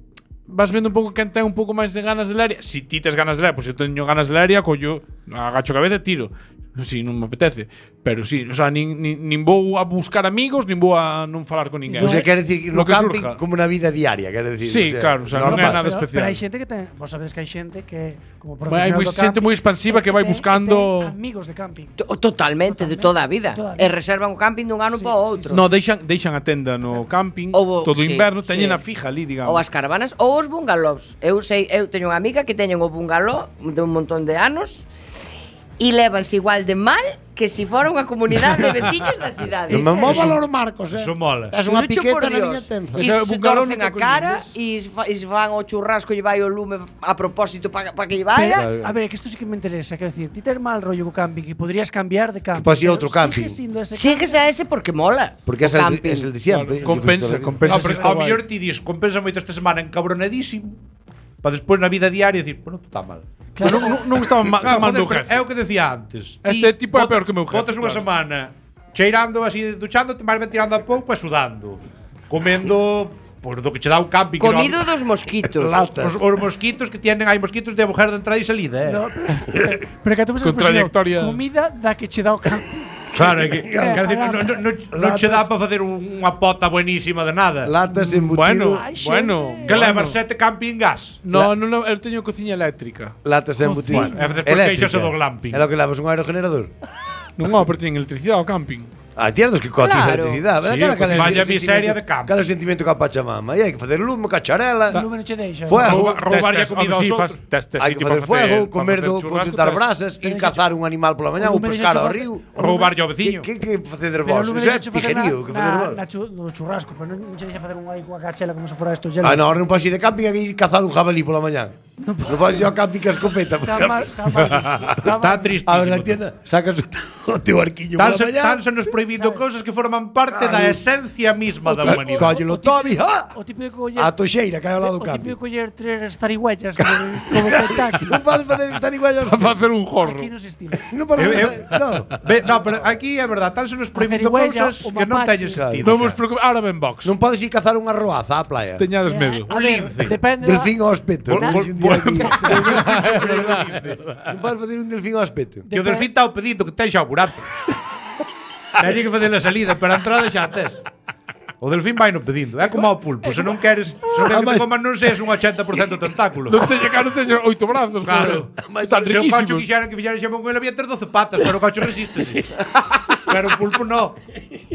vas vendo un pouco quen ten un pouco máis de ganas de leria. Si ti tes ganas de leria, pois pues, eu teño ganas de leria, collo, agacho a cabeza e tiro. Si non me apetece. Pero si, o sea, nin, nin, nin vou a buscar amigos, nin vou a non falar con ninguén. O sea, quero dicir, no Lo que camping surja. como na vida diaria, quero dicir. Sí, claro, o sea, non é normal. nada Pero, especial. pero hai xente que ten, vos sabedes que hai xente que como Hai profesional moi do xente camping, moi expansiva que vai ten- buscando- ten amigos de camping. To- Totalmente, de toda a vida. Toda a vida. E reservan o camping dun ano Sí, para o sí, outro. No, deixan, deixan a tenda no camping Ou o- todo o sí, inverno, teñen sí. a fija ali, digamos. Ou as caravanas ou os bungalows. Eu sei, eu teño unha amiga que teñen o bungalow de un montón de anos e levanse igual de mal que se si fora unha comunidade de veciños da cidade. Non me mo valor Marcos, eh. Eso mola. Es unha Dicho por piqueta na Dios. miña tenza. E Ese se bungalow torcen nunca a cara coñeces. e se fa- e se fan o churrasco e vai o lume a propósito para pa que lle vaya. Pero, a ver, que isto sí que me interesa, quero decir, ti ter mal rollo co camping que podrías cambiar de camping. podes ir a pero outro camping. Sigue siendo ese Síguese a ese porque mola. Porque é o el, camping. es el de siempre. Claro, compensa, compensa. No, pero si está ao guai. mellor ti dis, compensa moito esta semana encabronadísimo, para despois na vida diaria decir, bueno, está mal. Claro, non, non estaba ma, Claro, mal joder, meu pero jefe. é o que decía antes. Este Ti tipo é bota- peor que o meu jefe, Botas unha claro. semana cheirando así, duchándote, máis ben tirando a pouco e sudando. Comendo por do que che dá o camping. que Comido non- dos mosquitos. Latas. Os, os mosquitos que tienen, hai mosquitos de agujero de entrada e salida, eh. No, pero, pero que tú me Con trayectoria. comida da que che dá o camping. Claro, é que, Claro. quero dicir, non, non, non, non che dá para facer un- unha pota buenísima de nada. Latas embutido. Bueno, Ai, xente. bueno. Que leva sete camping gas. No, no, no, eu teño cociña eléctrica. Latas embutido. Bueno, e despois queixase do glamping. É lo que levas un aerogenerador. Non, no, pero teñen electricidade ao camping. Ah, tiernos que cotiza Claro. electricidade. Sí, Aquela- porque aquela vaya sentimento- miseria de campo. Aquele sentimento ca Pachamama. E hai que facer lume, cacharela. O lume non che deixa. Fuego. Rouba- roubarlle a Tes- tes- comida oh, aos sí, outros. fas- tes- tes Hai que sitio facer para fuego, para comer facer do, churrasco, contentar tes- brasas, ir cazar un animal pola mañá O ou lume pescar non ao che río. Roubarlle ao Que, veciño. que, que facer Pero o vos? lume Iso é non che facer pijerío. Que facer na, vos? na, chu- no churrasco, pero non, non che deixa facer un aí coa cachela como se fora isto Ah, no, ahora non podes ir de camping a ir cazar un jabalí pola mañá. Non podes ir ao camping ca escopeta. Está mal, está mal. visto, Está Está mal. triste. A ver, na tienda, sacas o o teu arquiño pola Tanse, mañá. tanse nos prohibindo cousas que forman parte da esencia misma da humanidade. Collelo Toby, ah! O típico coller A toxeira que hai ao lado do o camping. típico coller tres zarigüeyas como, como Kentucky. Non podes facer estar igual Para facer un jorro. Aquí non se estila. Non podes Eu- eu- facer, no. Ve, no, pero aquí é verdad, tanse nos prohibindo cerigüeya, cousas o que non mapache. teñen sentido. Non xa. vos preocupes, ahora ven box. Non podes ir cazar unha roaza á playa. Teñades medo. A ver, lince. depende da- Delfín ao aspecto. Vol- non vol- dixo un día vol- aquí. Non podes facer un delfín ao aspecto. Que o delfín está o pedido que ten xa o burato. Teñen que facer a salida, pero a entrada xa a tes. O delfín vai no pedindo, é como ao pulpo, se non queres, se non queres que te coman non seas un ochenta por cento tentáculo. Non teño cara, non teño oito brazos. Claro. Están Se o cacho riquísimos. quixeran que fixeran xamón con ele había ter doce patas, pero o cacho resístese. Pero o pulpo no.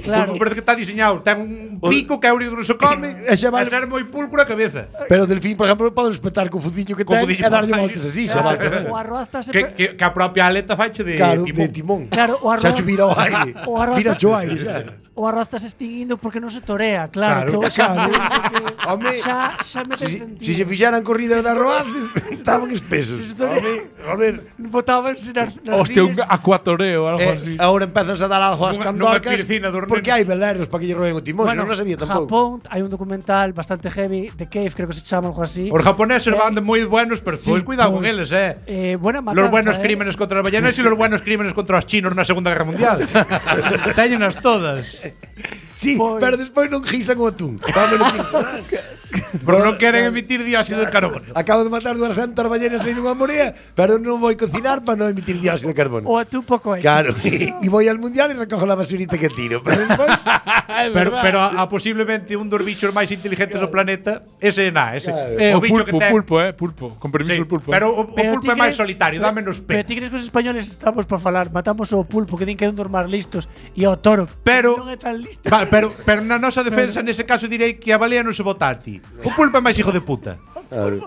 Claro. O pulpo parece que está diseñado, ten un pico que é o único que se come, E xa e vale- ser moi pulcro a cabeza. Pero o delfín, por exemplo, pode espetar co fuciño que Co ten fuciño e darlle para voltas baixo. así, xa vale. O arroz está se Que, que, que a propia aleta faiche de Claro, timón. de timón. Claro, o arroz- Xa che vira o aire. o arroz- Vira o aire xa. O arroz está se extinguindo porque non se torea, claro. Claro, todo xa, claro. porque Home, xa, xa mete Si, sentido. si se fixeran corridas de arroaces, estaban espesos. Se se torea- A ver, Botábanse nas, nas Hostia, un rías. acuatoreo, algo así. eh, agora empezan a dar algo ás Nunha- nunha candorcas piscina do porque hai veleros para que lle roen o timón, Bueno, non lo sabía tampouco. Japón hai un documental bastante heavy de Cave, creo que se chama algo así. Os japoneses van de moi buenos, pero Sí, pues, cuidado con pues, eles, eh. Eh, buena matanza, Los buenos eh. crímenes contra los ballenas y los buenos crímenes contra los chinos na Segunda Guerra Mundial. Téñenas todas. Sí, Pois- pero despois non gisan o atún. Vámonos Pero non queren emitir dióxido de carbono. Acabo de matar duascentas ballenas en unha morea, pero non vou cocinar para non emitir dióxido de carbono. O atún pouco hecho. Claro, e voy al mundial e recojo la basurita que tiro. Pero despois, Pero, pero a, a posiblemente un dos bichos máis inteligentes do planeta, ese é na, ese. Eh, o bicho pulpo, ten- pulpo, eh, pulpo. Con permiso Sí, el pulpo. pero o, o Pero pulpo ti é máis crees- solitario, pero- dámenos Pero pena. ti crees que os españoles estamos para falar, matamos o pulpo que din que é un dos máis listos e ao toro. Pero- non é tan listo. Va, pero, pero na nosa defensa, nese caso, direi que a balea non se vota a ti. O pulpo é máis hijo de puta.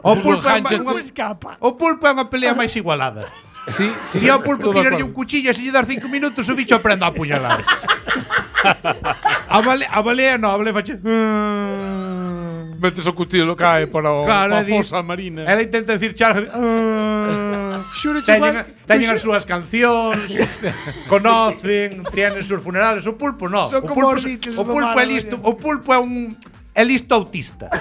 O pulpo é Sánchez, unha, Non escapa. o pulpo é unha pelea máis igualada. sí, sí. E ao pulpo todo de tirarlle acuerdo. un cuchillo e se lle das cinco minutos o bicho aprende a apuñalar. A balea, a balea non, a balea fache. Metes o cuchillo lo cae para o Claro, pa é di- fosa marina. Ela intenta decir charla. Xuro, Teñen, chaval, teñen pois- as súas cancións, conocen, tienen sus funerales. O pulpo no. Son o como pulpo, os Beatles o do pulpo mar, é listo, vaya. o pulpo é un é listo autista.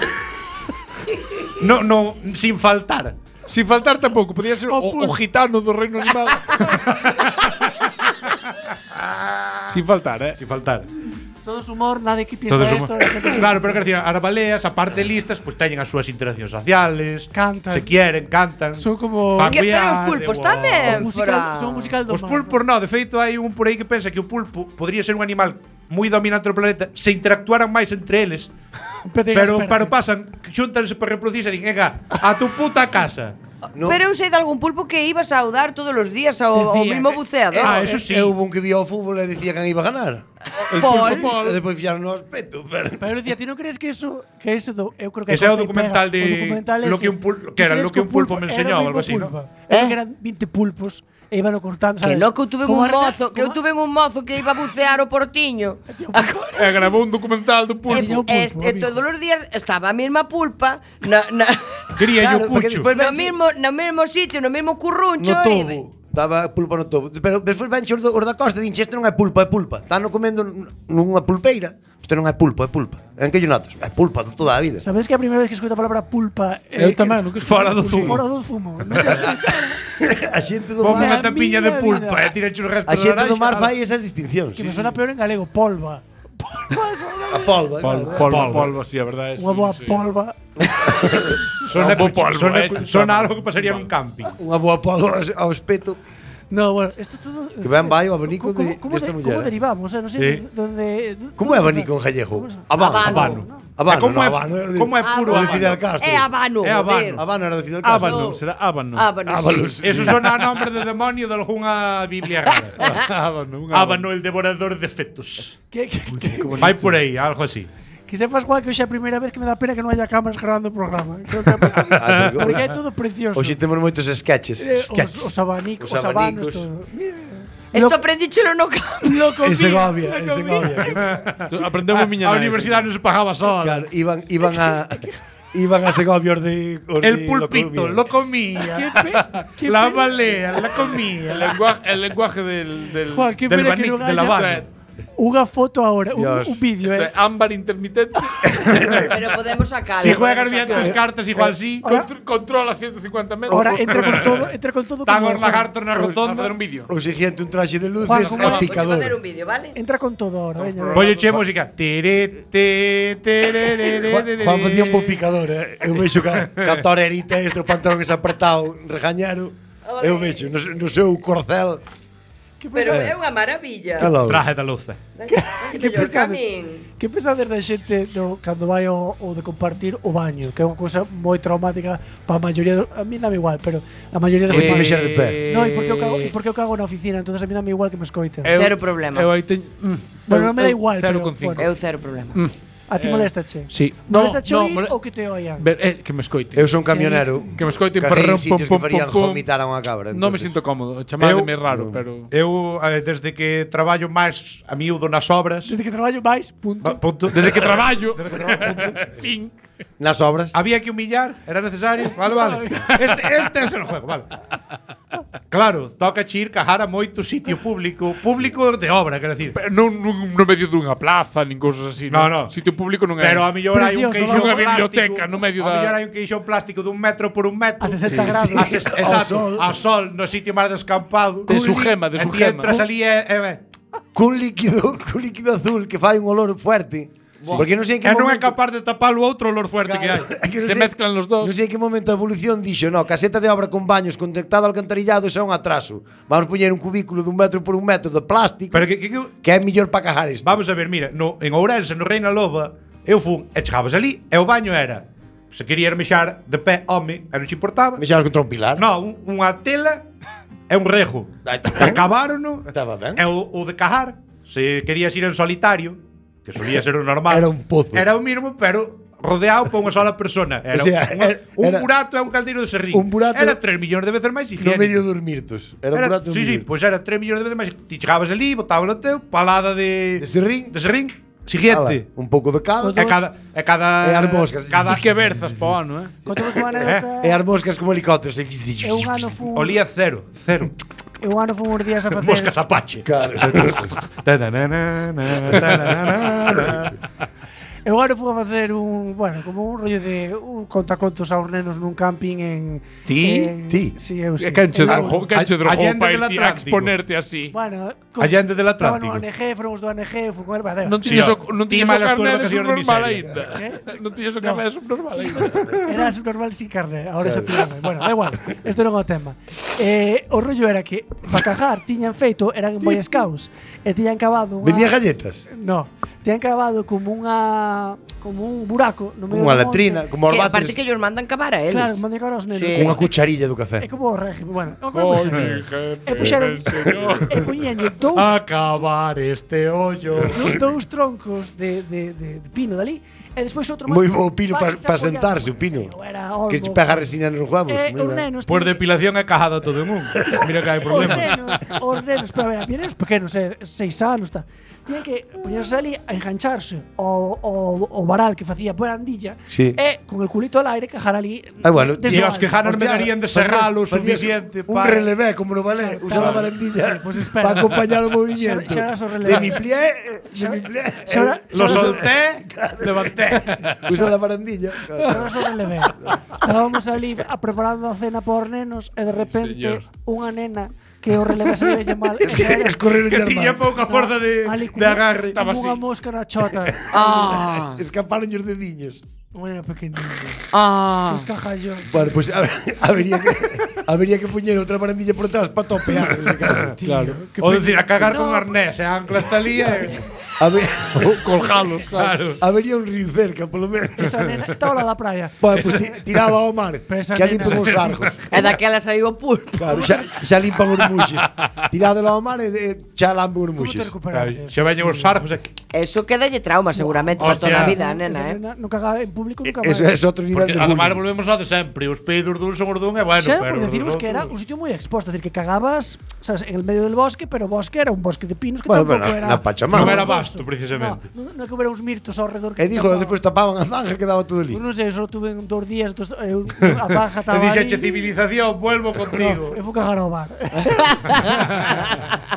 No, no, sin faltar. Sin faltar tampouco, podía ser o, o gitano do reino animal. Sin faltar, eh. Sin faltar. todo es humor, nadie que piensa Todos esto. somos- la gente- Claro, pero que decir, as baleas, aparte de listas, pues teñen as súas interaccións sociales, Cantan. se quieren, cantan. Son como- fan Que, pero os viaje, pulpos wow. tamén, musical, Fran. son musical do Os mar, pulpos no, de feito hai un por aí que pensa que o pulpo podría ser un animal moi dominante do planeta se interactuaran máis entre eles, Pero, pero pero pasan, xuntanse para reproducirse e din, "Ega, a tu puta casa." No. Pero eu sei de algún pulpo que iba a saudar todos os días ao, ao Decía, mismo buceador. Ah, eso sí. E houve un que vio o fútbol e dicía que iba a ganar. Paul. E despois fixaron no aspecto, pero... Pero decía, ti non crees que eso, que eso do, eu creo que Ese é o corta e documental pega. de O documental lo ese. que un pul- Ti que era crees lo que un pulpo me era enseñó, o algo mismo así, ¿no? pulpo. Eu Eh? que eran veinte pulpos e iban cortando, Que sabes? no, que eu tuve Como un arena- mozo, que eu como- tuve un mozo que iba a bucear o portiño. E grabou un documental do E, pulpo. Tiña un e, pulpo, e amigo. todos os días estaba a mesma pulpa na, na, Quería Claro, yo porque cucho. despois no, venche- mismo, no mesmo sitio, no mesmo curruncho. No e- tobo. Estaba pulpa no tobo. Pero despois venche os, do- os da costa e dinche, este non é pulpa, é pulpa. Están comendo n- nunha pulpeira. Este non é pulpa, é pulpa. En que lle notas? É pulpa de toda a vida. Sabes que a primeira vez que escoito a palabra pulpa Eu tamén, nunca escoitei Fora do pulpo. zumo. Fora do zumo. A xente do Ponme Na unha mar, tapiña de miña pulpa vida. e tira os restos a xente de do mar naranja. fai esas distincións. Que me suena peor en galego, polva. Polva, A polva, Polvo, claro. polvo, Polvo. polvo, sí, a verdade. Unha boa sí. polva. Sona, Bo polvo, sona, eh, sona sona- algo que pasaría nun camping. Unha boa polva ao espeto. No, bueno, esto todo. Que ben vai o abanico ¿Cómo- de- cómo desta de- muller, ¿Cómo eh? derivamos? O sea, no sé Sí. dónde. Como é abanico en gallego? ¿Cómo se- Habano. Habano. Habano. Habano, E como no, é- habano, é de- como é puro o de habano? Fidel Castro. É habano. É habano. joder. Habano era de Fidel Castro. Ábano, será ábano. Ábano, Ábano, sí. sí. Eso sona a nombre de demonio de algunha biblia rara. ábano, un Ábano, el devorador de fetos. Que, que, que, Vai por aí, algo así. que sepas, Juan, que hoxe é a primeira vez que me dá pena que non haya cámaras grabando o programa. Creo que é a primeira- Ah, porque- porque é todo precioso. Hoxe temos moitos sketches. Eh, sketches. os, os abanicos, Os os abanos, abanicos. todo. Mira, Esto lo- aprendíchelo no campo. lo comí, En Segovia, lo en comí. Segovia. Aprendeu a miña A nai, universidade non se pagaba sola. Claro, iban, iban a iban a Segovia os de os El de pulpito lo comía. Qué pe- qué La pe- balea la El comía. lenguaje, el lenguaje del, del, Juan, qué Del pena que bani- non del haya habano. unha foto ahora, un, Dios. un vídeo, de eh. ámbar intermitente. Pero podemos sacarlo. Si juegas podemos bien tus sacarlo. cartas, igual sí. Ahora- Contr- controla ciento cincuenta metros. Ahora entra con todo, entra con todo Tan como os lagartos na a facer rotonda. un vídeo. O siguiente un traxe de luces Juan, e ¿cómo Vamos a picador. facer un vídeo, vale? entra con todo ahora, veña. Polle che música. Tere, te, tere, tere, Juan, tere. Juan facía un bo picador, eh. Eu vexo que a torerita este, o pantalón ese apretado, regañero. Ole. Eu vexo no, no seu corcel. Que Pero pesa- é unha maravilla. Calo. Traje da luz. que Mellor pensades? camín. Que pensades da xente no, cando vai ao, ao de compartir o baño, que é unha cousa moi traumática para a maioría, do, a mí dame igual, pero a maioría das Foi ti persoas- mexer de pé. No, e porque eu cago, e porque eu cago na oficina, entonces a mí dame igual que me escoiten. Eu- Cero problema. Eu aí teño. mm, Bueno, eu- non me da eu igual, cero pero, con cinco. bueno. Eu cero problema. A ti eh, moléstache? Sí. No, Moléstache no, oír mole- ou que te oian? Ver, eh, que me escoite. Eu son camionero. Que me escoiten Cajei para en sitios que farían vomitar a unha cabra. Non me entonces. sinto cómodo. Chamademe Eu- raro, pero Eu, eh, desde que traballo máis a miúdo nas obras, Desde que traballo máis, punto. ba- punto. desde que traballo, fin. Nas obras. Había que humillar, era necesario. Vale, vale. Este, este es el juego, vale. Claro, toca ir cajar a moito sitio público, público de obra, quero decir. Pero non, non no medio dunha plaza, nin cousas así. No, non. no. Sitio público non é. Pero a mellor hai un Precioso, queixón unha plástico. biblioteca no medio A mellor da. hai un queixón plástico dun metro por un metro. A sesenta Sí, grados. A ses- exacto, sol. a sol no sitio máis descampado. De su gema, de E su ti gema. entras ali e, e Cun líquido, cun líquido azul que fai un olor fuerte. Porque non sei en que e non é momento... capaz de tapar o outro olor fuerte que hai. É que non Se sei- mezclan los dos. Non sei en que momento a evolución dixo, no, caseta de obra con baños conectado ao alcantarillado xa é un atraso. Vamos poñer un cubículo dun metro por un metro de plástico Pero que, que, que que é mellor para cajar isto. vamos a ver, mira, no, en Ourense, no Reina Loba, eu fun e chegabas ali e o baño era, se quería mexar de pé, home, e non te importaba. Me xabas contra un pilar. No, un, unha tela e un rejo. Aí está ben. Acabaron, Estaba ben. e o, o de cajar, se querías ir en solitario, que solía ser o normal. Era un pozo. Era o mismo, pero rodeado por unha sola persona. Era, O sea, unha- era- un era- burato e un caldeiro de serrín. un burato- Era tres millóns de veces máis No higiénico. medio dormirtos. Era, un Era, burato sí, sí, dormirtos. pois era tres millóns de veces máis. Ti chegabas ali, botabas o teu, palada de De serrín. de serrín, Ala, siguiente. un pouco de cal. E cada e cada E as moscas. cada Que berzas pa ano, eh? Contamos unha anécdota. E as moscas como helicópteros. Eu un ano fun, olía cero, cero. eu un ano fun uns días a facer. Moscas Apache. Claro. Eu agora fui a facer un, bueno, como un rollo de un contacontos aos nenos nun camping en Ti? en, Ti? Si, eu si. Que canche Eu- drogou, canche a- drogou Allende para del ir a Atlántico. exponerte así. Bueno, Allende del estaba Atlántico. no O N G, fomos do O N G, fui con el, va, Non Sí, tiñas o, ó. non Ti tiñas o malas carné túas de vacacións de subnormal miseria. aínda. ¿Qué? Non tiñas o No. carné de subnormal aínda. Era subnormal sin carne, ahora xa tirame. Bueno, da igual, isto non é o tema. Eh, o rollo era que para cajar tiñan feito, eran Boy Scouts, e tiñan cavado unha Vendía galletas. No, tiñan cavado como unha como un buraco no medio Como unha do monte. latrina, como os Que aparte váteres. que ellos mandan cavar a eles. Claro, mandei cavar aos nenos. Sí. Cunha cucharilla do É café. como o régimen, bueno, é como Oi, o mi régimen. jefe, E puxeron el señor. e poñenlle dous Acabar este hoyo. dou- dous troncos de, de, de, de pino dali e despois outro Moi máis bo pino para pa, que se pa apoiara. sentarse, o pino. Sí, era Que olmo. se pega resina nos huevos. E moi os ben. nenos Por tiñan- depilación é cajado todo en un. Mira que hai Os problema. nenos, os nenos, pero a ver, había nenos pequenos, eh, seis anos, tal. Tiñan que poñerse ali a engancharse o, o, o varal que facía barandilla Sí. e con el culito al aire cajar ali. Ah, bueno, desde E o os que alto. janan me Hostia, darían de facías- serralo facías suficiente Un para... relevé, como no vale, usa la barandilla pues espera. para acompañar o movimiento. Xa- xa eras o relevé. De mi pie, de mi pie. Xa era- Lo xa era- solté, levanté. Usa la barandilla. Pero eso relevé. Estábamos ali a preparando a cena por nenos e de repente señor. unha nena que o relevé se le veía mal. Es que escorrer Que tiña pouca forza de, Ali de agarre. como Estaba unha así. mosca na chota. Ah, Escaparon os dediños. Unha pequenina. ah. Os cajallos. Bueno, pues a ver, habería que habería que poñer outra barandilla por atrás para topear en ese caso. Claro. O decir, a cagar No. con arnés, e ancla hasta ali e... Habe- Colgalos, claro. Claro. Habería un río cerca, polo menos. Esa nena estaba lá da praia. Bueno, pues ti- tiralo ao mar, Pero esa que nena- limpen os argos. E daquela saiu o pulpo. Claro, xa, xa limpan os muxes. Tirádelo ao mar e de, xa lampen os Como te muxes. recuperaste? Se veñen os sargos e... Eso quedalle trauma seguramente para Hostia. toda a vida, Esa nena, eh. nena non cagaba en público nunca máis. Eso é outro nivel Porque de además bullying. volvemos ao de sempre. Os peidos dun son os dun e bueno, Xa, pero... por deciros os que era un outros- sitio moi exposto, es decir, que cagabas, sabes, en el medio del bosque, pero o bosque era un bosque de pinos que Bueno, tampouco pero era. na Pachamama. Non era frondoso. vasto, precisamente. No, non, non que hubiera uns mirtos ao redor que E dijo, despois tapaban a zanja, quedaba todo ali. Pues non sei, só tuve en dos días, dos, eh, a baja Te estaba dixeche ali. civilización, vuelvo contigo. No, eu fui cagar ao bar.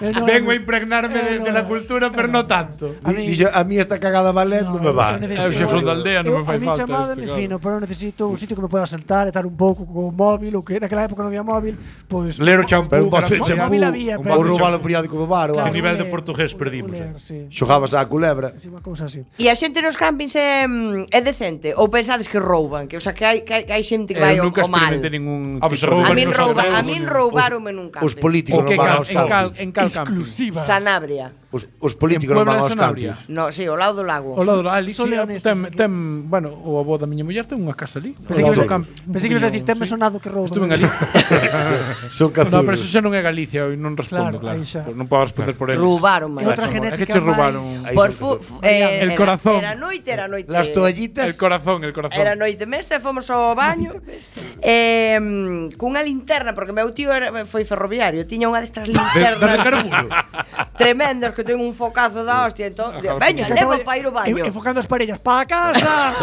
Eh, no, Vengo a no. impregnarme de, Eh, de la no. cultura, pero no tanto. A Di- mí- Dixo, a mí esta cagada ballet non me va. eu necesito- Eu xa son da aldea, non me eu- fai A mí falta chamada isto, me claro. fino, pero eu necesito un sitio que me pueda sentar, estar un pouco co móvil, ou que naquela época non había móvil, pois Ler o champú. Pero un que bote de era- champú. champú, móvil había, ou pero- roubar o periódico do bar ou Que algo. nivel de ler, portugués perdimos, ler, eh. sí. Xogabas á culebra. Sí, unha cousa así. E a xente nos campings é, mm, é decente? Ou pensades que rouban? Que, o sea, que hai, que hai, que hai xente que vai Eu ao nunca ao mal? experimentei ningún Ah, pues tipo de- A rouban min nos rouba, a aldeos, min os- roubaronme nun Os camping. políticos O que non van cal, aos en cal, campings. en cal camping. Exclusiva. Sanabria. Os, os políticos En non van Puebla aos de Sanabria. campings. No, sí, ao lado do lago. O lado ali, Son sí, leoneses ten, aquí. ten, bueno, o avó da miña muller ten unha casa ali. Pensei Ao que lado ibas do a- campo. pensei que ibas a decir, tenme sonado que rouban. Estuve en Galicia. Son cazulos. No, pero eso xa non é Galicia e non respondo, Claro, claro. aí xa. Pues non podo responder por eles. Roubaron, E outra É genética que che roubaron. máis- Aí Por son fu, cazulos. fu- eh, El era- corazón. Era noite, era noite. Las toallitas. El corazón, el corazón. Era noite mesta, fomos ao baño eh, cunha linterna, porque meu tío era, foi ferroviario, tiña unha destas De, de linternas. carburo. tremendos que ten un focazo da hostia, entón, veña, leva para ir ao baño. Enfocando as parellas, pa casa.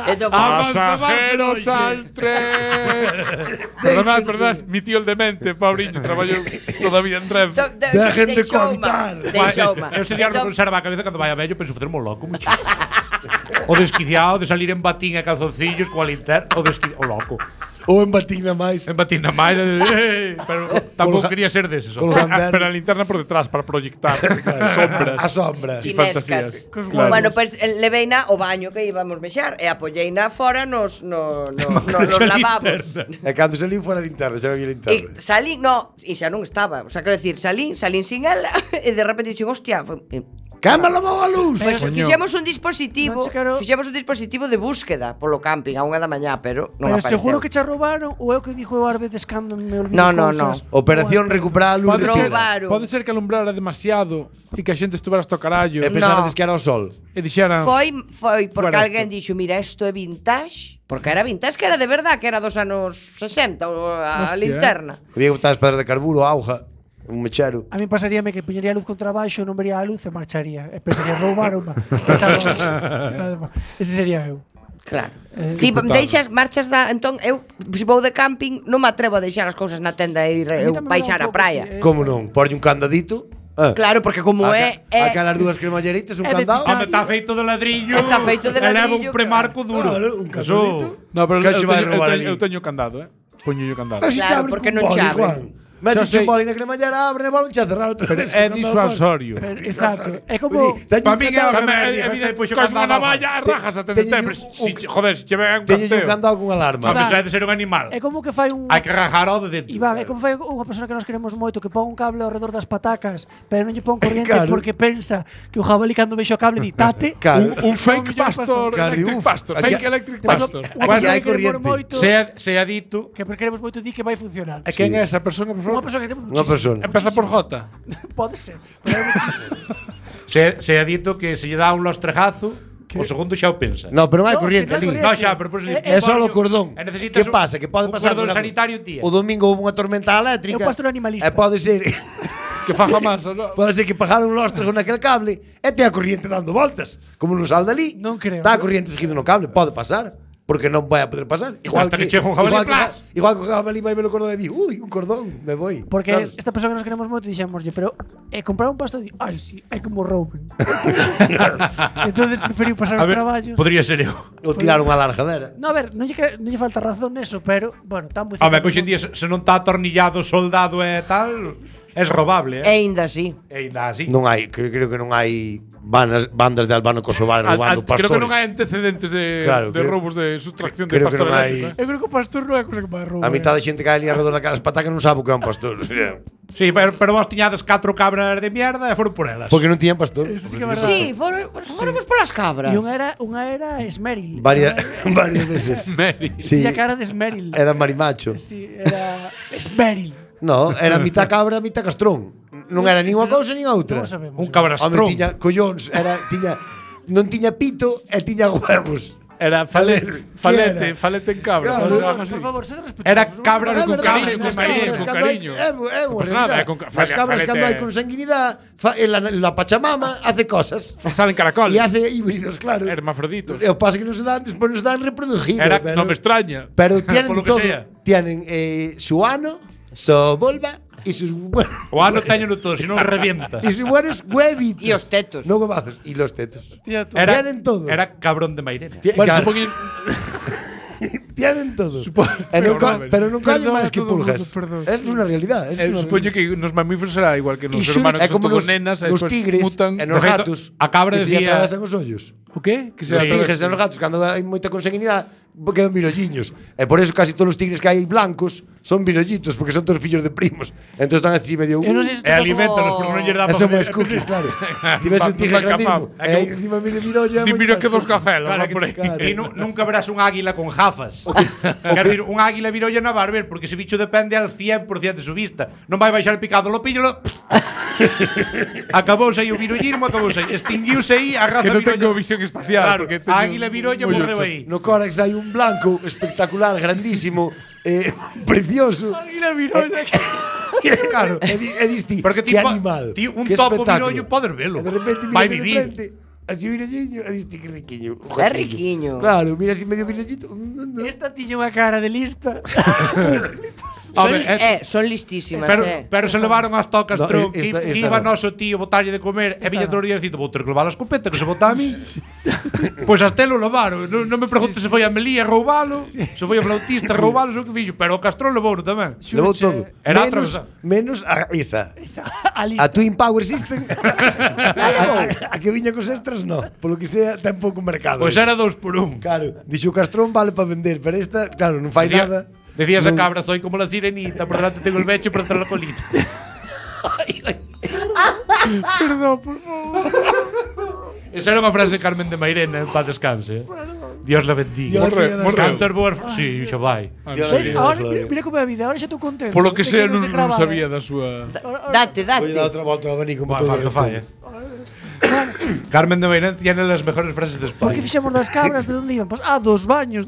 Entón, Pasajeros al tren. Perdonad, perdonad, mi tío el demente, Paulinho, traballou toda a vida en Renfe. entón, de- Dejen de deixouma, cohabitar. deixouma. Eu se diar me Entón, conserva a cabeza cando vai a vello, penso facermo loco, muchísimo. O desquiciado de salir en batín e calzoncillos coa linterna, o desquiciado, o loco. Ou en batina máis. En batín na máis, eh, pero tampouco quería ser deses. Con hombre. los Ah, pero a linterna por detrás para proyectar sombras. A sombras. Sí. chinescas. fantasías. Claro. Bueno, pues eh, leveina ao baño que íbamos mexar e apoyeina fora nos no, no, no, nos lavabos. E cando salín fora de linterna, xa había E linterna. salín, no, e xa non estaba. O sea, quero decir, salín, salín sin ela e de repente dixen, hostia, foi, eh, Cama lavou a luz. Pois Coño. fixemos un dispositivo, Non che quero- fixemos un dispositivo de búsqueda polo camping a unha da mañá, pero non Pero apareceu. seguro que che roubaron ou é o que dixo eu ás veces cando me olvido No, no, cousas. Operación recuperar a luz Pode de ser, Sida. Roubaron. pode ser que alumbrara demasiado e que a xente estuvera hasta o carallo E e, pensarades que era o sol. dixeran Foi, foi porque Fuera alguén dixo, mira, isto é vintage, porque era vintage, que era de verdad, que era dos anos sesenta, o a Hostia, linterna. Había que botar as pedras de carburo, auga, un mechero. A mí pasaríame que poñería a luz contra baixo, non vería a luz e marcharía. E pensaría, roubaron. Ese sería eu. Claro. Eh, Ti diputado. deixas, marchas da... Entón, eu, se vou de camping, non me atrevo a deixar as cousas na tenda e ir A mí eu tamén me dá baixar un a pouco praia. así, eh. Como non? Porlle un candadito. Ah. Claro, porque como é... é Aquelas dúas cremalleritas, un É de candado. titán. Home, está feito de ladrillo. Está feito de E leva ladrillo, un premarco duro. Claro, un Eso- candadito. No, pero Que eu, che eu, vai teño, eu, roubar teño, ali? eu teño candado, eh. Poño yo candado. Pero si te Claro, abre porque cun non boli, che abre. Juan. Metes sei. un boli na cremallera, abre, boli, xa cerrar outra Pero vez. é con candado disuasorio. Pero, exacto. É como... Teño Pa un min é candado- o que Tamén, me é dijo, evidente, este puxo cois unha candado navalla, abajo. rajas a Teño tendente, un- pero si, un- joder, se che ve un Teño un canteo. candado con alarma. A pesar de ser un animal. É como que fai un... Hai que rajar ao de dentro. Iván, é como fai unha persona que nos queremos moito que pon un cable ao redor das patacas, pero non lle pon corriente Claro. porque pensa que o jabalí cando vexe o cable di tate. Claro. Un, un fake pastor, Claro, electric uf, pastor, aquí- fake electric Pero pastor. unha Aquí persona hai que queremos corriente. moito, Sea, sea dito. que queremos moito di que vai funcionar. E quen Sí. é esa persona, por Unha favor? persona que queremos Unha muchísimo. persona. Empeza por J. Pode ser. Pero hai muchísimo. Sea, sea dito que se lle dá un lostregazo, o segundo xa o pensa. No, pero non hai No, corriente que non hai ali. corriente. No, xa, pero por eso digo, É- É só o coño, cordón. e necesitas Que pasa? Que pode un pasar cordón durante- sanitario, tía. O domingo houve unha tormenta eléctrica. É o pastor animalista. E pode ser Que faja masa, no? pode ser que pagaron lostros naquele cable e te a corriente dando voltas. Como non sal dali. Non creo. Está a corriente seguido no cable, pode pasar. Porque non vai a poder pasar. Hasta que chegue un jabalí, igual que, plas. igual que o jabalí vai ver o cordón e di, ui, un cordón, me voy. Porque Sabes? esta persona que nos queremos moito dixémoslle, pero é comprar un pastor di, ai, si, é como rouben. Entonces preferiu pasar A os ver, traballos. podría ser eu. Ou tirar unha largadera. No, a ver, non lle, que- non lle falta razón neso, pero, bueno, tan moi Home, que hoxe en día se se non está atornillado, soldado e tal, é robable, E eh? ainda así. E ainda así. Non hai, creo, creo que non hai bandas, bandas de Albano Kosovar Al- roubando al- pastores. creo que non hai antecedentes de, Claro, de creo- robos de sustracción de creo que pastor non hai- eléctrico. eh. Eu creo que o pastor non é cosa que vai roubar. A mitad da xente que hai ali alrededor daquelas patacas non sabe o que é un pastor. Sí, pero, pero vos tiñades catro cabras de mierda e foron por elas. Porque non tiñan pastor. Eso sí que é verdade. Sí, foron, fóramos polas cabras. E unha era, unha era Esmeril. Varias, varias veces. Mary. Sí, Tiña cara de Esmeril. era marimacho. Sí, era Esmeril. No, era mitad cabra, mitad castrón. Non era nin unha cousa nin outra. Non sabemos. Un cabrastrón. Home, tiña collóns, era tiña non tiña pito e tiña huevos. Era falete, falete, falete en cabra. Claro. ¿no? Por, Algo así. por favor, sed respetuosos. Era non- cabra É con verdade, cariño, con nas cariño, cabras con cando hai- cariño. É, é unha Pues nada, realidade. con ca- As fale- cabras falete- cando hai consanguinidade, fa, en la, la Pachamama hace cosas. Salen caracoles. E hace híbridos, claro. Hermafroditos. O pasa que non se dan, despois non se dan reproducidos. Era, pero, no me extraña. Pero tienen Por lo de que todo. sea. Tienen eh, su ano, su vulva y sus buenos. O ano teñeno todo, senón revientas. Y sus buenos huevitos. Y os tetos. No huevazos. Y los tetos. Tía, tú. Era, Tienen todo. Era cabrón de Mairena. Ti- Bueno, claro, supongo tienen todo. Supo- pero, pero ca- no, pero non callen Perdón máis a que todo pulgas. mundo, perdón. Es una realidad. Es Eh, una supoño realidad. que nos mamíferos será igual que nos E seres xur- humanos, É que son como todos nos, nenas, e nos despois tigres mutan. e nos De feito, gatos. a cabra que se lle decía- atravesan os ollos. O qué? Que se Os sí. tigres e os gatos, cando hai moita consanguinidade, quedan virolliños. E por eso casi todos os tigres que hai blancos son virollitos, porque son todos fillos de primos. Entón están así medio... Eu non sei se E aliméntanos, porque non lle dá Eso para máis cookies, claro. Ti ves un tigre Nunca grandísimo, capaz. e aí encima medio virolla... Di, moito mira máis que dos cookies. cacelas, Claro, va por aí. claro. E nu, nunca verás un águila con jafas. Quer dizer, un águila virolla non vai ver, porque ese bicho depende al cien por ciento de su vista. Non vai baixar picado lo pillo, lo, Acabouse aí o virollismo, acabouse aí. Extinguiuse aí a raza Que non virolla. tengo visión espacial. Claro, porque a teño águila virolla moi morreu ocho. aí. No Corax hai un blanco espectacular, grandísimo, eh, precioso. Águila virolla. Claro, e, di, e dis ti, Porque ti que po- animal. ti un que topo espectáculo. virollo podes velo. E de repente mira Vai de vivir. frente, así virolliño, e dis ti que riquiño. un É joquiño. riquiño. Claro, mira así medio virollito. Esta tiña unha cara de lista. A Son, ver, li- eh, eh, son listísimas, Pero, eh. pero se levaron as tocas No, tron, esta- que, que esta iba no. noso tío botalle de comer e viña no. todo o día dicindo, vou ter que levar a escopeta que se bota a mí. Pois hasta lo levaron. Non, non me preguntes se foi a Melía roubalo, se foi a flautista roubalo, o que fixo, pero o Castrón levou tamén. Levou todo. Era menos, atravesar. menos a esa. Esa, A a lista. Twin Power System. a, a, a que viña cos extras, no. Polo que sea, ten pouco mercado. Pois era dous por un. Claro, dixo o Castrón vale para vender, pero esta, claro, non fai Decía- nada. Decías a Non- cabra, soy como la sirenita, por delante tengo el beche y por detrás la colita. Perdón, por favor. Esa era unha frase de Carmen de Mairena, en paz descanse. eh. Dios la bendiga. Dios la bendiga. Morreu. Cantar boas... Sí, xa vai. Dios ¿Ves? la Ahora, bendiga. mira, mira como é a vida, ahora xa estou contento. Polo que de sea, non non, se non gravara. sabía da súa... Date, Voy a dar date. otra volta a venir como Va, todo falta el fai, eh. Carmen de Mairena tiene las mejores frases de Por que España. fixemos das cabras, de onde iban? Pois, ah, dos baños.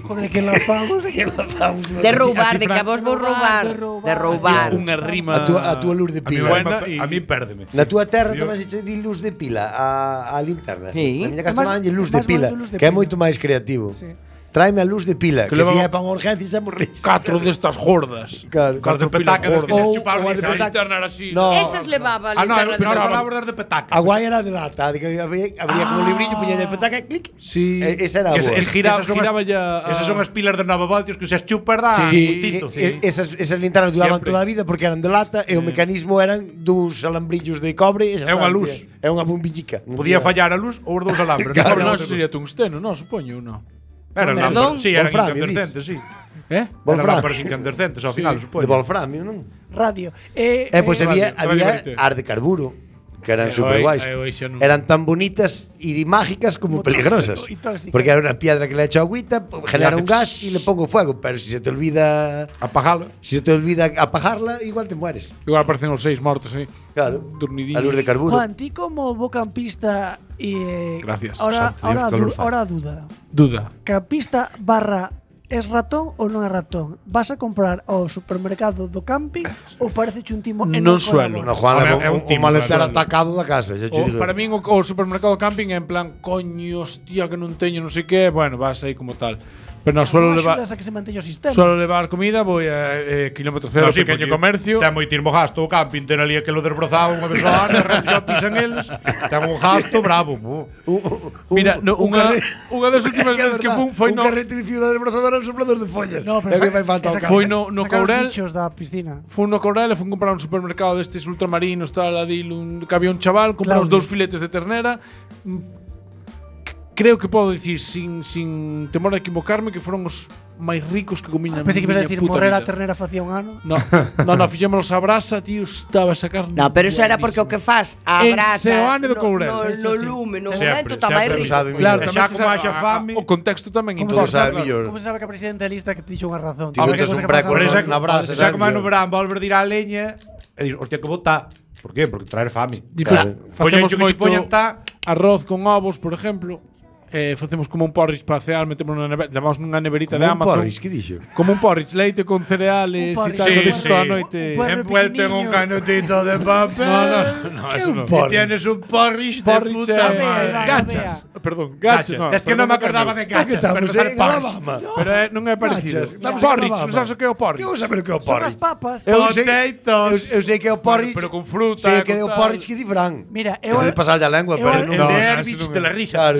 Joder, que lanzamos. De roubar, de que a vos vou roubar. De roubar. De roubar. Unha rima... A túa, a túa luz de A mí, pila. Buena a, y- a mí pérdeme. Na túa terra Yo- tamén se che di luz de pila a, a linterna. Sí. Na miña É casa máis- manlle luz de máis pila, bonito luz de que é pila. moito máis creativo. Sí. Tráeme a luz de pila, Que que, leva- si é para unha urgencia xa morrís. Catro destas gordas. Claro. Catro pilas petacas que se Ou- chuparon ou a esa de petaca. linterna era así. No. Esas levaba a Ah, no, linterna pero de ahora Saba. falamos das de petaca. A guai era de lata, de que había, habría como un librillo, puña de petaca e clic. Sí. E- esa era a Que boa. es, es giraba, Esas son giraba as- ya. a- Esas son as pilas de nove voltios que se as chupas da. Sí, gustito. e- e- esas, esas linternas duraban Siempre. toda a vida porque eran de lata e o mecanismo eran dous alambrillos de cobre e xa É unha está, luz. tía. É unha bombillica. Podía fallar a luz ou os dous alambres. Claro, non non, sabía eso sería tungsteno, non, supoño, non. Eran Perdón? lámparas, sí, eran Wolframio, incandescentes, sí. Eh? Eran Wolframio. lámparas incandescentes ao final, De supoño. wolframio, non? Radio. Eh, E pois eh, había, radio, había radio as de carburo, que eran Eh, super aí- guais. aí xa non- Eran tan bonitas e mágicas como Como peligrosas. tóxico y tóxica. Porque era unha piedra que le echo agüita, po- genera un hace gas e le pongo fuego, pero si se te olvida Apagalo. si se te olvida apagarla, igual te mueres. Igual aparecen os seis mortos aí. Claro. Dormidillos. A luz de carburo. Juan, ti como bocampista y eh, Gracias, Ahora, santo Dios, ahora, qué du- calor fai. ahora duda. Duda. Campista barra es ratón ou non é ratón? Vas a comprar ao supermercado do camping ou parece un timo e Non non suelo. No, colaboras? Juan, Home, é é un un, un timo, maleter claro. atacado da casa. Xa che O, digo. para min o, o supermercado camping é en plan coño, hostia, que non teño non sei que, bueno, vas aí como tal. Pero non suelo Non levar axudas a que se manteña o sistema. suelo levar comida, voy a eh, kilómetro cero, No, sí, pequeño porque comercio. Ten moitismo gasto o camping, ten ali aquilo desbrozado unha vez ao ano, xa pisan eles. Ten un gasto bravo. bu. Un- un- Mira, no, un unha, carre- unha das últimas que é veces que verdad, fun foi un no carrete de ciudad desbrozadora un soplador de follas. No, pero É que sa- fai falta ao saca- campo. Foi no, no sacar os Courel. bichos da piscina. Fun no Courel e fun comprar un supermercado destes ultramarinos, tal, adil, un, que había un chaval, compramos Claudio. dous filetes de ternera. Mm, Creo que podo dicir sin, sin temor a equivocarme que foron os máis ricos que comín na Pensei que ibas a miña decir puta morrer a vida. ternera facía un ano. No, no, no, fixémonos a brasa, tío, estaba a sacar. No, pero eso era porque o que faz a En brasa Seoane do no, Courel. no, Eso no sí. lume, no Sempre, momento está máis sempre rico. sabe Claro, Xa tamén como se haxa sabe- fame. O contexto tamén Como Todo importa. sabe sabe, mellor. como se sabe que a presidenta lista que te dixo unha razón. Ti Tío, metes que un cousa que breco pasa Por no- eso, na brasa, xa sabe como no mellor. verán, volver dir a leña e dir, hostia, que bota. Por qué? Porque traer fame. Despois Claro. facemos Poñen que moito poñen ta- arroz con ovos, por exemplo. Eh, facemos como un porridge para cear, metemos na neverita, levamos nunha neverita de Un Amazon. porridge, que dixo? Como un porridge, leite con cereales Un e porridge. tal, Sí, sí, sí. toda a noite. Un porridge. Envuelto en un canutito de papel. No, no, no, Que eso un no. porridge? Y tienes un porridge de Porridge puta eh, madre. Vea, gachas. Perdón, gachas. Gachas. No, es que perdón, non me acordaba de Que gachas. estamos pero sabe en porridge. Alabama. Pero eh, non é parecido. Gachas, estamos en Porridge, Alabama. non sabes o que é o Que vou porridge? saber o que é o Son porridge? as papas. Eu sei, Potatoes. eu, eu sei que é o porridge. pero con fruta, Sei con que é o tal. porridge que di Fran. Mira, eu Eu de pasar a lengua, eu- pero eu- non. El No, de no, Herbich ese non de é. la risa. Claro.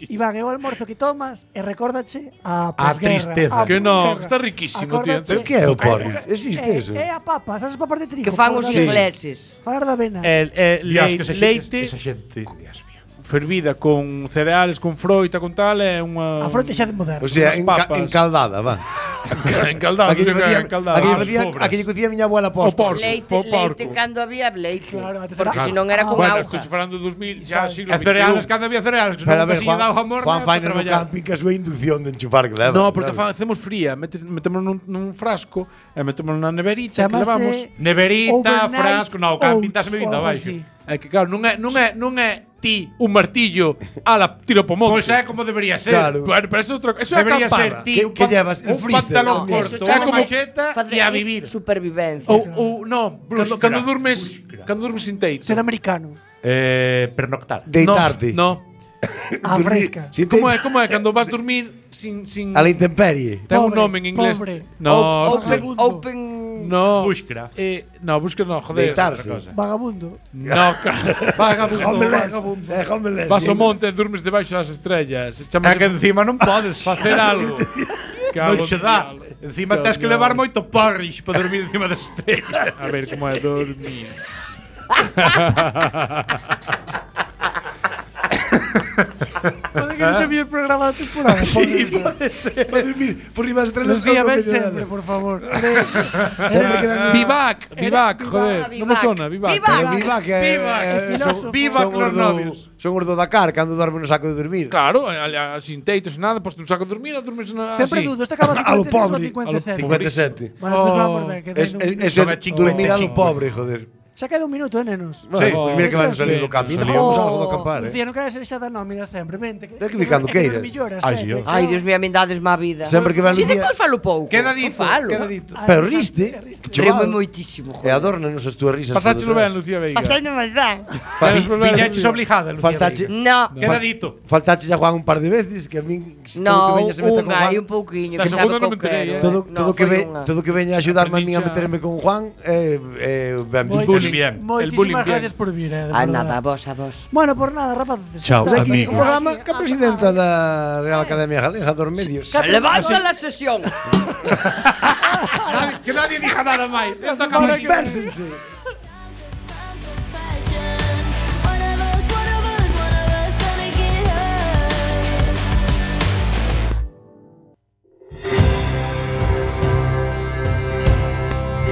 Iván, é o almorzo que tomas e recórdache a A posguerra, tristeza. a Que no, posguerra. está riquísimo, tío. Acórdache- Pero que é o porridge? Existe É- eso? É a papa, sabes as papas de trigo? Que fan os Por dar- ingleses. Falar da avena. El, el Dios, lei- que esa leite. xente- Esa xente. Dios mío. fervida con cereales, con froita, con tal, é unha A fronte xa de moderno. O sea, Unas enca, papas. encaldada, va. encaldada, Aquí lle non sei que é facía, encaldada. aquí lle Ah, facía, sobras. aquí lle cocía a miña abuela O posta. porco. Leite, po- leite porco. cando había leite. Claro, antes Porque era- se non era Ah, con Bueno, auga. estou falando de dos mil, xa siglo E cereales, veintiún. cando había cereales, que Pero a non ver, se lle Juan, daba jamón Juan para Faina no traballar. camping que a súa inducción de enchufar que leva. No, porque claro. fa, hacemos fría, metes, metemos nun, nun frasco e metemos na neverita que Chamase levamos. Neverita, Overnight frasco, no, camping oats estás bebindo ou algo abaixo. así. É que claro, non é, non é, non é ti un martillo a la tiro po monte. Pois é como debería ser. Claro. Bueno, pero eso é outra cosa. Eso é Debería ser acampada. ti Que- un, que pan- llevas? El un freezer. pantalón No, corto, Eso unha chamase macheta facer e a vivir. Supervivencia. Ou, ou no, cando, Búsqueda, cando durmes, búsqueda. cando durmes sin teito. Ser americano. Eh, pernoctar. Deitarte. No, A Dormir fresca. sin como é, teito. como é cando vas dormir sin sin A la intemperie. ten un Pobre, nome en inglés. pobre. No, open, vagabundo. open. no. Bushcraft. Eh, no, busca no, joder. Deitarse. outra cosa. Vagabundo. No, claro. Vagabundo, Homeless. vagabundo. Eh, homeless. Vas ao monte e durmes debaixo das estrellas. É Chamase que encima non podes facer algo. Non che dá. Encima tens que Cabrón. levar moito porridge para dormir encima das estrellas. A ver como é dormir. Pode que non se vio o programa da temporada. Sí, Pobre. pode ser. Para dormir por riba das estrelas. Lucía, con ven coño sempre, nada. por favor. Sempre que ven- Vivac, Vivac, joder. Vivac. Non me sona, Vivac. Vivac. Pero viva que Viva, eh, que son, filósofo. Viva son con os os do- novios. Son os do Dakar cando dormen no saco de dormir. Claro, a, a, a, sin teitos e nada, posto un saco de dormir, a dormes na Sempre así. dudo, este acaba A lo cincuenta e seis ou pobre. cincuenta e sete. cincuenta e sete. Bueno, pues Oh. vamos ver, que Es, den un es, minuto. es Son el a cincuenta dormir a lo cinco. pobre, joder. Xa queda un minuto, eh, nenos. Bueno, Sí. pues mira que van Sí, salir do sí, camping. sí. Digamos algo do acampar, eh. Lucía, non queres ser xa da nómina sempre, vente. Que, Ten que vir cando é que queiras. non melloras, Ai, eh, sí, que- oh. Ai, Dios mío, a min dades má vida. Sempre que van Si Lucía- depois falo pouco. Queda Non dito, falo. queda dito. Ah, Pero riste, riste. riste. Remo Chaval. moitísimo, E joder. adórnanos as túas risas. por Pasáchelo detrás. ben, Lucía Veiga. Facendo máis ben. Sabes volver a Viñaches Lucía. obligada, Lucía. Faltache, Veiga. No. Queda dito. faltache ya Juan un par de veces, que a min todo No, que veña se meta con unha Juan. e un pouquiño, La que segunda sabe non me co enterei, quero, eh. Todo, No, todo, que foi ve, unha. todo que veña a axudarme a min a Aprendín xa- meterme con Juan eh, eh, ben Moi- visto. Pues bien. El bullying Moitísimas bien. gracias por vir, eh, de Ah, verdade. nada, a vos, a vos. Bueno, por nada, rapaces. Chao, Pues aquí amigo. un programa que a presidenta da Real Academia Galega dos Medios. Se levanta la sesión. Nadie- Que nadie diga nada máis. Esta Ahora acaba que- Dispersense.